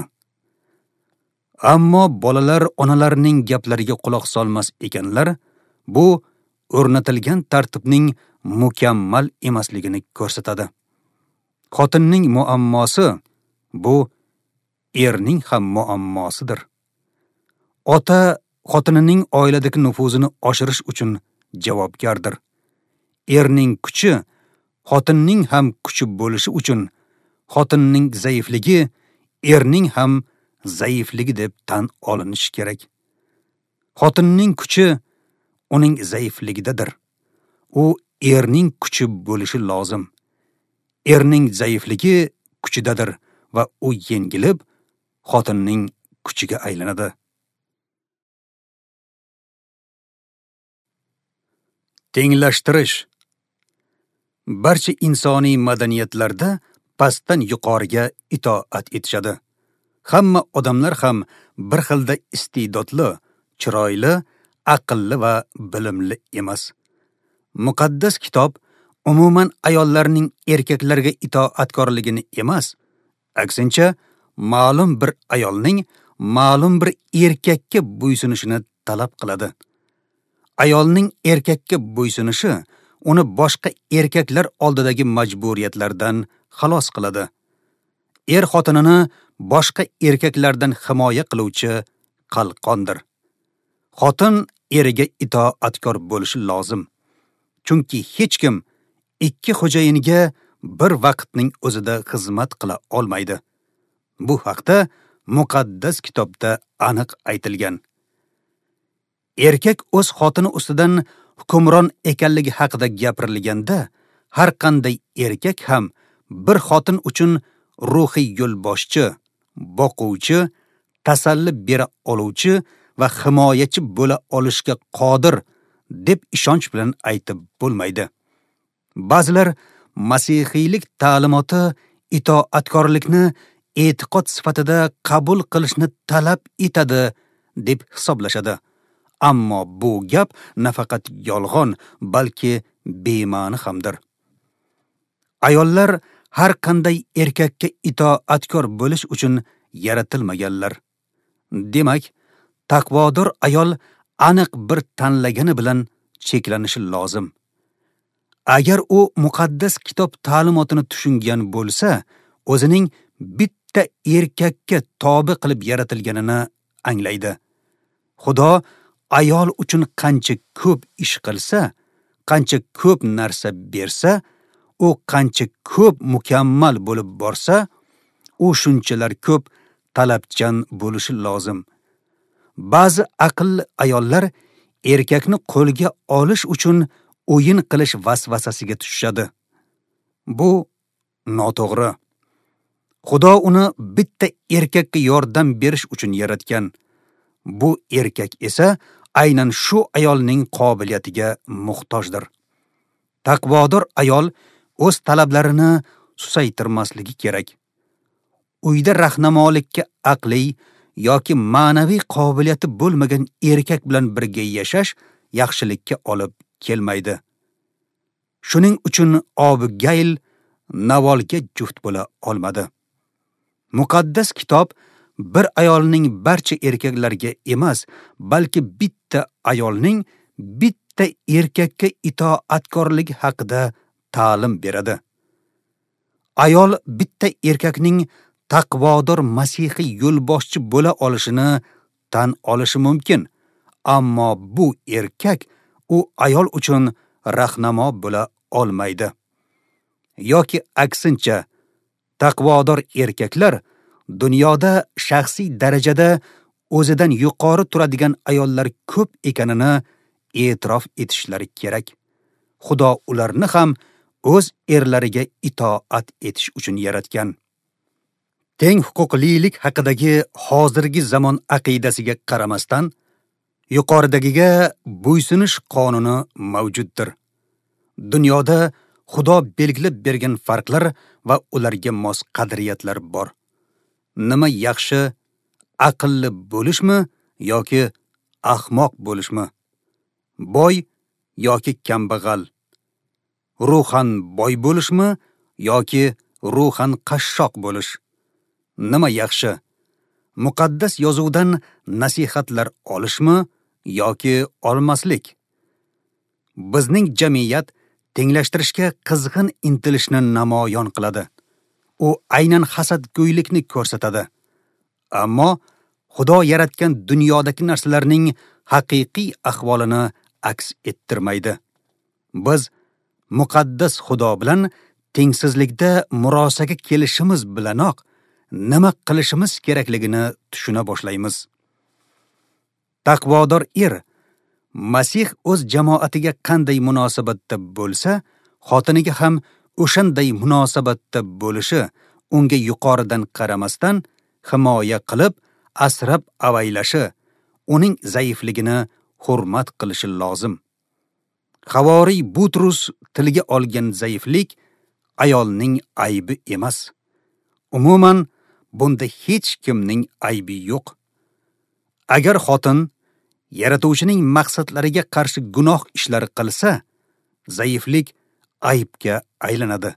Ammo bolalar onalarining gaplariga quloq solmas ekanlar, bu o'rnatilgan tartibning mukammal emasligini ko'rsatadi. Xotinning muammosi bu erning ham muammosidir. Ota xotinining oiladagi nufuzini oshirish uchun javobgardir. Erning kuchi xotinning ham kuchi bo'lishi uchun xotinning zaifligi erning ham zaifligi deb tan olinishi kerak. Xotinning kuchi uning zaifligidadir. U erning kuchi bo'lishi lozim. Erning zaifligi kuchidadir va u yengilib xotinning kuchiga aylanadi. Tenglashtirish. Barcha insoniy madaniyatlarda pastdan yuqoriga itoat etishadi. Hamma odamlar ham bir xilda iste'dodli, chiroyli, aqlli va bilimli emas. Muqaddas kitob umuman ayollarning erkaklarga itoatkorligini emas, aksincha ma'lum bir ayolning ma'lum bir erkakka bo'ysunishini talab qiladi. Ayolning erkakka bo'ysunishi uni boshqa erkaklar oldidagi majburiyatlardan xalos qiladi. Er xotinini boshqa erkaklardan himoya qiluvchi qalqondir. Xotin eriga itoatkor bo'lishi lozim. Chunki hech kim ikki xo'jayinga bir vaqtning o'zida xizmat qila olmaydi. Bu haqda muqaddas kitobda aniq aytilgan. Erkak o'z xotini ustidan hukmron ekanligi haqida gapirilganda, har qanday erkak ham bir xotin uchun ruhiy yo'lboshchi, boquvchi, tasalli bera oluvchi va himoyachi bo'la olishga qodir deb ishonch bilan aytib bo'lmaydi. Ba'zilar masihiylik ta'limoti itoatkorlikni e'tiqod sifatida qabul qilishni talab etadi deb hisoblashadi. Ammo bu gap nafaqat yolg'on, balki bema'ni hamdir. Ayollar har qanday erkakka itoatkor bo'lish uchun yaratilmaganlar. Demak, taqvodor ayol aniq bir tanlagani bilan cheklanishi lozim. Agar u muqaddas kitob ta'limotini tushungan bo'lsa, o'zining bitta erkakka tobe qilib yaratilganini anglaydi. Xudo ayol uchun qancha ko'p ish qilsa, qancha ko'p narsa bersa, u qancha ko'p mukammal bo'lib borsa, u shunchalar ko'p talabchan bo'lishi lozim. Ba'zi aqlli ayollar erkakni qo'lga olish uchun o'yin qilish vasvasasiga tushishadi. Bu noto'g'ri. Xudo uni bitta erkakka yordam berish uchun yaratgan. Bu erkak esa aynan shu ayolning qobiliyatiga muhtojdir. Taqvodor ayol o'z talablarini susaytirmasligi kerak. Uyda rahnamolikka aqliy yoki ma'naviy qobiliyati bo'lmagan erkak bilan birga yashash yaxshilikka olib kelmaydi. Shuning uchun Abigayl Navolga juft bo'la olmadi. Muqaddas kitob bir ayolning barcha erkaklarga emas, balki bitta ayolning bitta erkakka itoatkorligi haqida ta'lim beradi. Ayol bitta erkakning taqvodor masihiy yo'lboshchi bo'la olishini tan olishi mumkin, ammo bu erkak u ayol uchun rahnamo bo'la olmaydi. Yoki aksincha, taqvodor erkaklar dunyoda shaxsiy darajada o'zidan yuqori turadigan ayollar ko'p ekanini e'tirof etishlari kerak. Xudo ularni ham o'z erlariga itoat etish uchun yaratgan. Teng huquqlilik haqidagi hozirgi zamon aqidasiga qaramasdan, yuqoridagiga bo'ysunish qonuni mavjuddir. Dunyoda Xudo belgilab bergan farqlar va ularga mos qadriyatlar bor. Nima yaxshi, aqlli bo'lishmi yoki ahmoq bo'lishmi? Boy yoki kambag'al? Ruhan boy bo'lishmi yoki ruhan qashshoq bo'lish? Nima yaxshi, muqaddas yozuvdan nasihatlar olishmi yoki olmaslik? Bizning jamiyat tenglashtirishga qizg'in intilishni namoyon qiladi. U aynan hasadgo'ylikni ko'rsatadi. Ammo Xudo yaratgan dunyodagi narsalarning haqiqiy ahvolini aks ettirmaydi. Biz muqaddas Xudo bilan tengsizlikda murosaga kelishimiz bilanoq nima qilishimiz kerakligini tushuna boshlaymiz. Taqvodor er Masih o'z jamoatiga qanday munosabatda bo'lsa, xotiniga ham o'shanday munosabatda bo'lishi, unga yuqoridan qaramasdan himoya qilib, asrab avaylashi, uning zaifligini hurmat qilishi lozim. Havoriy Butrus tilga olgan zaiflik ayolning aybi emas. Umuman, bunda hech kimning aybi yo'q. Agar xotin Yaratuvchining maqsadlariga qarshi gunoh ishlar qilsa, zaiflik aybga aylanadi.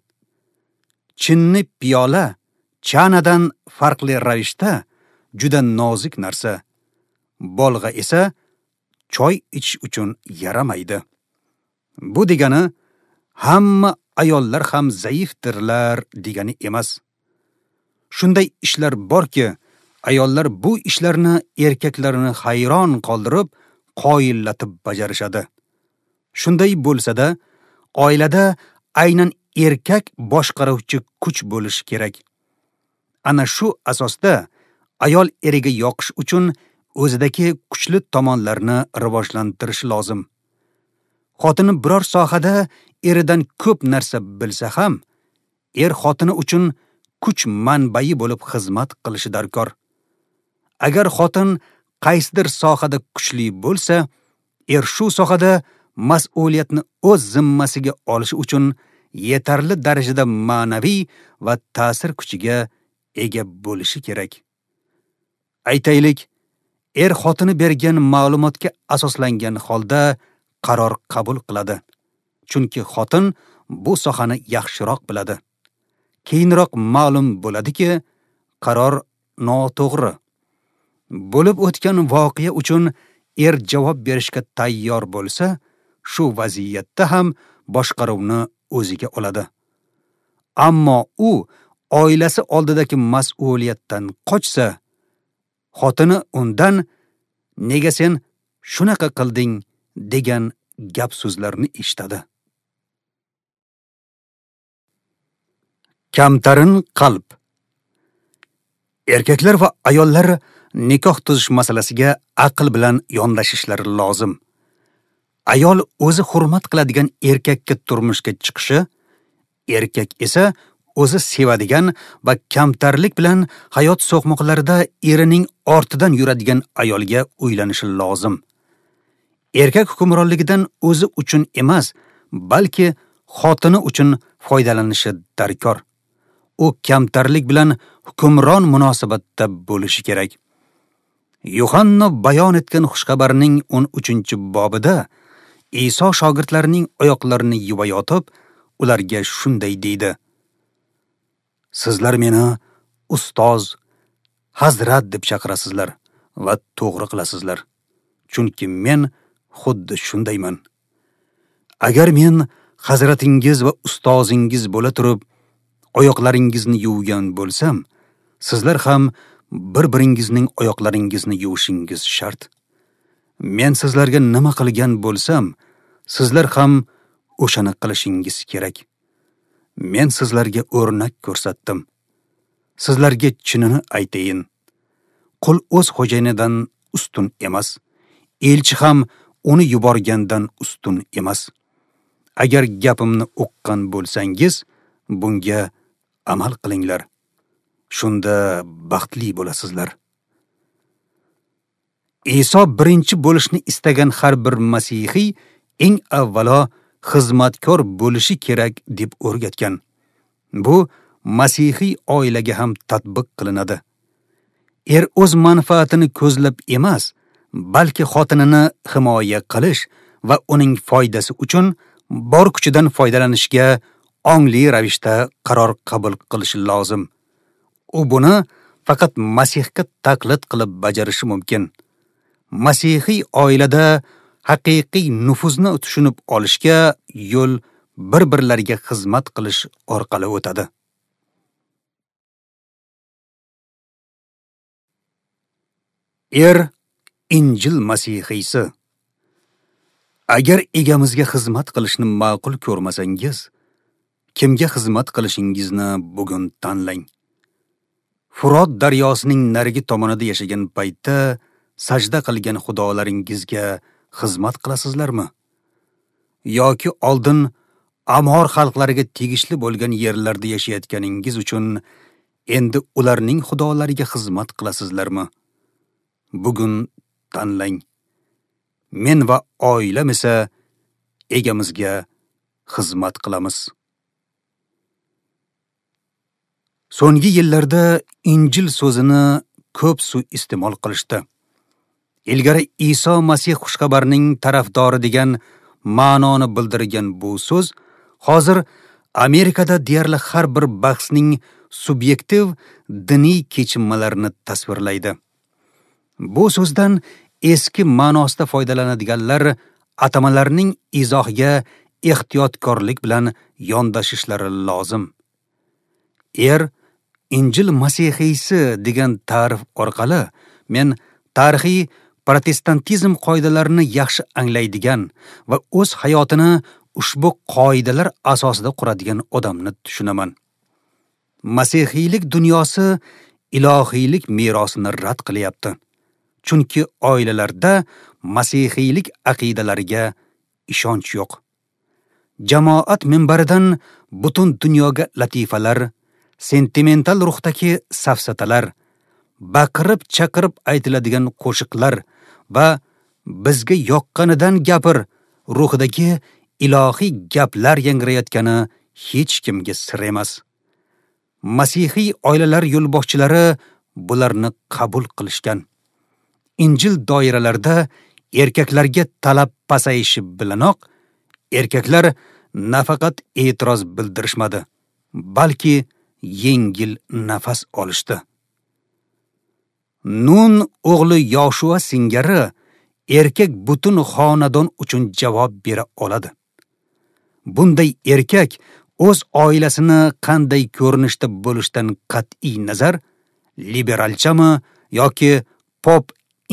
Chinni piyola chanadan farqli ravishda juda nozik narsa. Bolg'a esa choy ichish uchun yaramaydi. Bu degani hamma ayollar ham zaifdirlar degani emas. Shunday ishlar borki, ayollar bu ishlarni erkaklarni hayron qoldirib, qoyillatib bajarishadi. Shunday bo'lsa-da, oilada aynan erkak boshqaruvchi kuch bo'lishi kerak. Ana shu asosda ayol eriga yoqish uchun o'zidagi kuchli tomonlarni rivojlantirishi lozim. Xotini biror sohada eridan ko'p narsa bilsa ham, er xotini uchun kuch manbai bo'lib xizmat qilishi darkor. Agar xotin qaysidir sohada kuchli bo'lsa, er shu sohada mas'uliyatni o'z zimmasiga olishi uchun yetarli darajada ma'naviy va ta'sir kuchiga ega bo'lishi kerak. Aytaylik, er xotini bergan ma'lumotga asoslangan holda qaror qabul qiladi. Chunki xotin bu sohani yaxshiroq biladi. Keyinroq ma'lum bo'ladiki, qaror noto'g'ri. Bo'lib o'tgan voqea uchun er javob berishga tayyor bo'lsa, shu vaziyatda ham boshqaruvni o'ziga oladi. Ammo u oilasi oldidagi mas'uliyatdan qochsa, xotini undan "Nega sen shunaqa qilding?" degan gap so'zlarni eshitadi. Kamtarin qalb. Erkaklar va ayollar nikoh tuzish masalasiga aql bilan yondashishlari lozim. Ayol o'zi hurmat qiladigan erkakka turmushga chiqishi, erkak esa o'zi sevadigan va kamtarlik bilan hayot so'qmoqlarida erining ortidan yuradigan ayolga uylanishi lozim. Erkak hukmronligidan o'zi uchun emas, balki xotini uchun foydalanishi darkor. U kamtarlik bilan hukmron munosabatda bo'lishi kerak. Yuhanna bayon etgan xushxabarning 13-bobida Iso shogirdlarining oyoqlarini yuvayotib, ularga shunday deydi: Sizlar meni ustoz, hazrat deb chaqirasizlar va to'g'ri qilasizlar. Chunki men xuddi shundayman. Agar men hazratingiz va ustozingiz bo'la turib, oyoqlaringizni yuvgan bo'lsam, sizlar ham bir-biringizning oyoqlaringizni yuvishingiz shart. Men sizlarga nima qilgan bo'lsam, sizlar ham o'shani qilishingiz kerak. Men sizlarga o'rnak ko'rsatdim. Sizlarga chinini aytayin. Qul o'z xo'jayinidan ustun emas, elchi ham uni yuborgandan ustun emas. Agar gapimni uqqan bo'lsangiz, bunga amal qilinglar. Shunda baxtli bo'lasizlar. Iso birinchi bo'lishni istagan har bir masihiy eng avvalo xizmatkor bo'lishi kerak deb o'rgatgan. Bu masihiy oilaga ham tatbiq qilinadi. Er o'z manfaatini ko'zlab emas, balki xotinini himoya qilish va uning foydasi uchun bor kuchidan foydalanishga ongli ravishda qaror qabul qilishi lozim. U buni faqat Masihga taqlid qilib bajarishi mumkin. Masihiy oilada haqiqiy nufuzni tushunib olishga yo'l bir-birlariga xizmat qilish orqali o'tadi. Er Injil masihiysi. Agar egamizga xizmat qilishni ma'qul ko'rmasangiz, kimga xizmat qilishingizni bugun tanlang. Furot daryosining narigi tomonida yashagan paytda sajda qilgan xudolaringizga xizmat qilasizlarmi? Yoki oldin Amor xalqlariga tegishli bo'lgan yerlarda yashayotganingiz uchun endi ularning xudolariga xizmat qilasizlarmi? Bugun tanlang. Men va oilam esa egamizga xizmat qilamiz. So'nggi yillarda Injil so'zini ko'p suiiste'mol qilishdi. Ilgari Iso Masih xushxabarning tarafdori degan ma'noni bildirgan bu so'z hozir Amerikada deyarli har bir bahsning subyektiv diniy kechinmalarini tasvirlaydi. Bu so'zdan eski ma'nosida foydalanadiganlar atamalarning izohiga ehtiyotkorlik bilan yondashishlari lozim. Er Injil masihiysi degan ta'rif orqali men tarixiy protestantizm qoidalarini yaxshi anglaydigan va o'z hayotini ushbu qoidalar asosida quradigan odamni tushunaman. Masihiylik dunyosi ilohiylik merosini rad qilyapti. Chunki oilalarda masihiylik aqidalariga ishonch yo'q. Jamoat minbaridan butun dunyoga latifalar, sentimental ruhdagi safsatalar, baqirib-chaqirib aytiladigan qo'shiqlar va bizga yoqqanidan gapir ruhidagi ilohiy gaplar yangrayotgani hech kimga sir emas. Masihiy oilalar yo'lboshchilari bularni qabul qilishgan. Injil doiralarida erkaklarga talab pasayishi bilanoq erkaklar nafaqat e'tiroz bildirishmadi, balki yengil nafas olishdi. Nun o'g'li Yoshua singari erkak butun xonadon uchun javob bera oladi. Bunday erkak o'z oilasini qanday ko'rinishda bo'lishidan qat'iy nazar, liberalchami yoki pop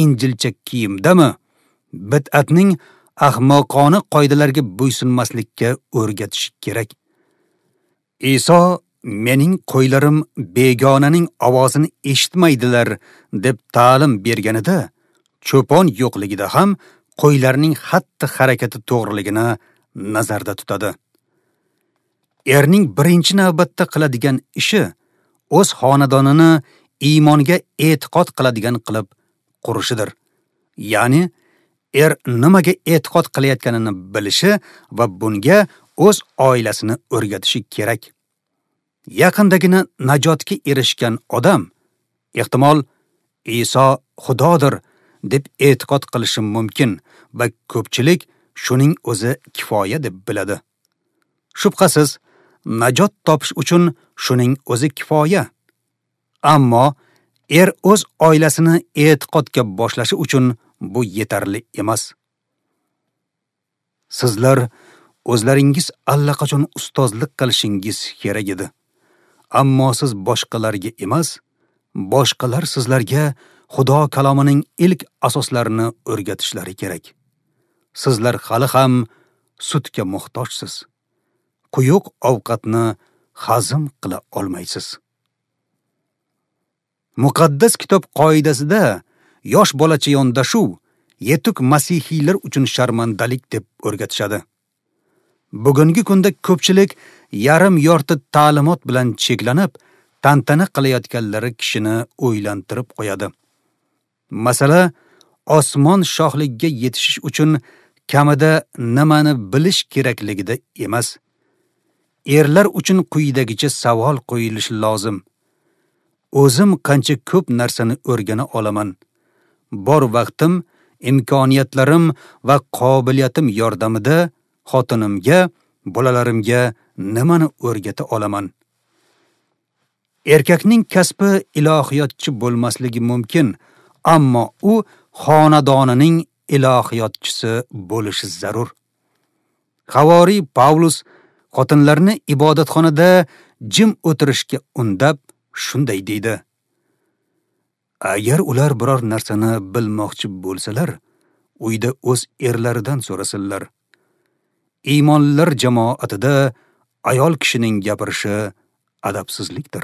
injilcha kiyimdami, bid'atning ahmoqona qoidalarga bo'ysunmaslikka o'rgatish kerak. Iso mening qo'ylarim begonaning ovozini eshitmaydilar deb ta'lim berganida, cho'pon yo'qligida ham qo'ylarning xatti-harakati to'g'riligini nazarda tutadi. Erning birinchi navbatda qiladigan ishi o'z xonadonini iymonga e'tiqod qiladigan qilib qurishidir. Ya'ni er nimaga e'tiqod qilayotganini bilishi va bunga o'z oilasini o'rgatishi kerak. Yaqindagina najotga erishgan odam ehtimol Iso Xudodir deb e'tiqod qilishi mumkin va ko'pchilik shuning o'zi kifoya deb biladi. Shubhasiz, najot topish uchun shuning o'zi kifoya. Ammo er o'z oilasini e'tiqodga boshlashi uchun bu yetarli emas. Sizlar o'zlaringiz allaqachon ustozlik qilishingiz kerak edi. Ammo siz boshqalarga emas, boshqalar sizlarga Xudo kalomining ilk asoslarini o'rgatishlari kerak. Sizlar hali ham sutga muhtojsiz. Quyuq ovqatni hazm qila olmaysiz. Muqaddas kitob qoidasida yosh bolacha yondashuv yetuk masihiylar uchun sharmandalik deb o'rgatishadi. Bugungi kunda ko'pchilik yarim yorti ta'limot bilan cheklanib, tantana qilayotganlari kishini o'ylantirib qo'yadi. Masala, osmon shohligiga yetishish uchun kamida nimani bilish kerakligida emas. Erlar uchun quyidagicha savol qo'yilishi lozim. O'zim qancha ko'p narsani o'rgana olaman? Bor vaqtim, imkoniyatlarim va qobiliyatim yordamida xotinimga, bolalarimga nimani o'rgata olaman? Erkakning kasbi ilohiyotchi bo'lmasligi mumkin, ammo u xonadonining ilohiyotchisi bo'lishi zarur. Havoriy Pavlus xotinlarni ibodatxonada jim o'tirishga undab shunday deydi: Agar ular biror narsani bilmoqchi bo'lsalar, uyda o'z erlaridan so'rasinlar. Iymonlilar jamoatida ayol kishining gapirishi adabsizlikdir.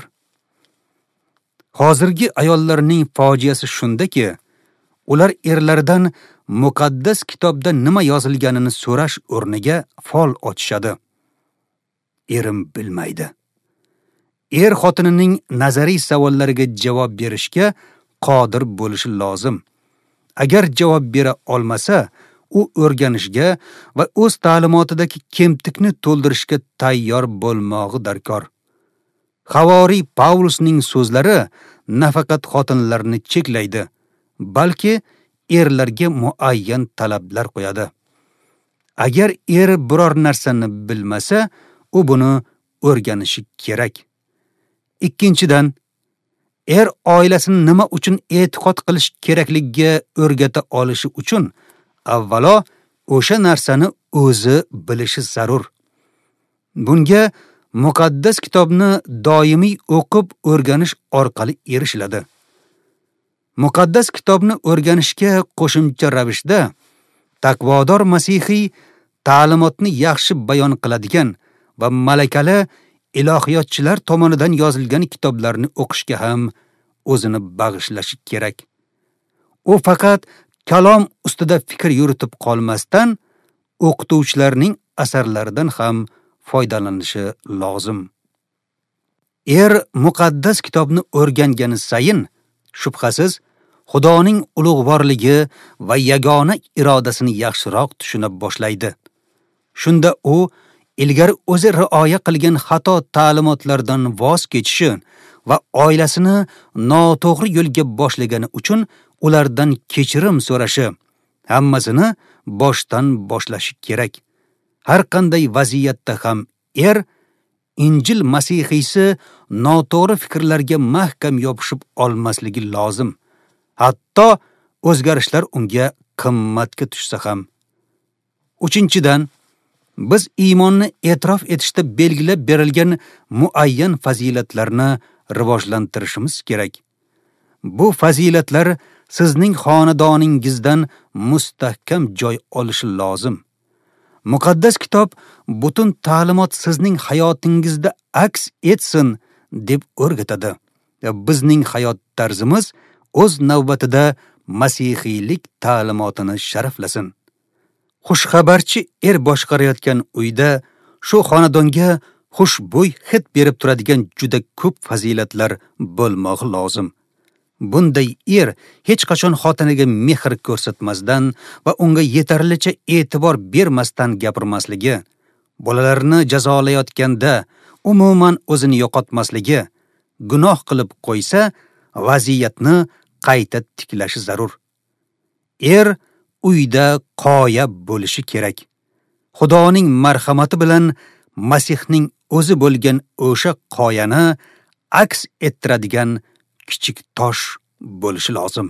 Hozirgi ayollarning fojiasi shundaki, ular erlaridan muqaddas kitobda nima yozilganini so'rash o'rniga fol ochishadi. Erim bilmaydi. Er xotinining nazariy savollariga javob berishga qodir bo'lishi lozim. Agar javob bera olmasa, u o'rganishga va o'z ta'limotidagi kemtikni to'ldirishga tayyor bo'lmog'i darkor. Havoriy Pavlusning so'zlari nafaqat xotinlarni cheklaydi, balki erlarga muayyan talablar qo'yadi. Agar er biror narsani bilmasa, u buni o'rganishi kerak. Ikkinchidan, er oilasini nima uchun e'tiqod qilish kerakligiga o'rgata olishi uchun avvalo o'sha narsani o'zi bilishi zarur. Bunga muqaddas kitobni doimiy o'qib o'rganish orqali erishiladi. Muqaddas kitobni o'rganishga qo'shimcha ravishda taqvodor masihiy ta'limotni yaxshi bayon qiladigan va malakali ilohiyotchilar tomonidan yozilgan kitoblarni o'qishga ham o'zini bag'ishlashi kerak. U faqat kalom ustida fikr yuritib qolmasdan, o'qituvchilarning asarlaridan ham foydalanishi lozim. Er muqaddas kitobni o'rgangani sayin, shubhasiz, Xudoning ulug'vorligi va yagona irodasini yaxshiroq tushuna boshlaydi. Shunda u ilgari o'zi rioya qilgan xato ta'limotlardan voz kechishi va oilasini noto'g'ri yo'lga boshlagani uchun ulardan kechirim so'rashi, hammasini boshdan boshlashi kerak. Har qanday vaziyatda ham er Injil masihiysi noto'g'ri fikrlarga mahkam yopishib olmasligi lozim. Hatto o'zgarishlar unga qimmatga tushsa ham. Uchinchidan, biz iymonni e'tirof etishda belgilab berilgan muayyan fazilatlarni rivojlantirishimiz kerak. Bu fazilatlar sizning xonadoningizdan mustahkam joy olishi lozim. Muqaddas kitob butun ta'limot sizning hayotingizda aks etsin deb o'rgatadi. Bizning hayot tarzimiz o'z navbatida masihiylik ta'limotini sharaflasin. Xushxabarchi er boshqarayotgan uyda shu xonadonga xushbo'y hid berib turadigan juda ko'p fazilatlar bo'lmog'i lozim. Bunday er hech qachon xotiniga mehr ko'rsatmasdan va unga yetarlicha e'tibor bermasdan gapirmasligi, bolalarini jazolayotganda umuman o'zini yo'qotmasligi, gunoh qilib qo'ysa, vaziyatni qayta tiklashi zarur. Er uyda qoya bo'lishi kerak. Xudoning marhamati bilan Masihning o'zi bo'lgan o'sha qoyani aks ettiradigan kichik tosh bo'lishi lozim.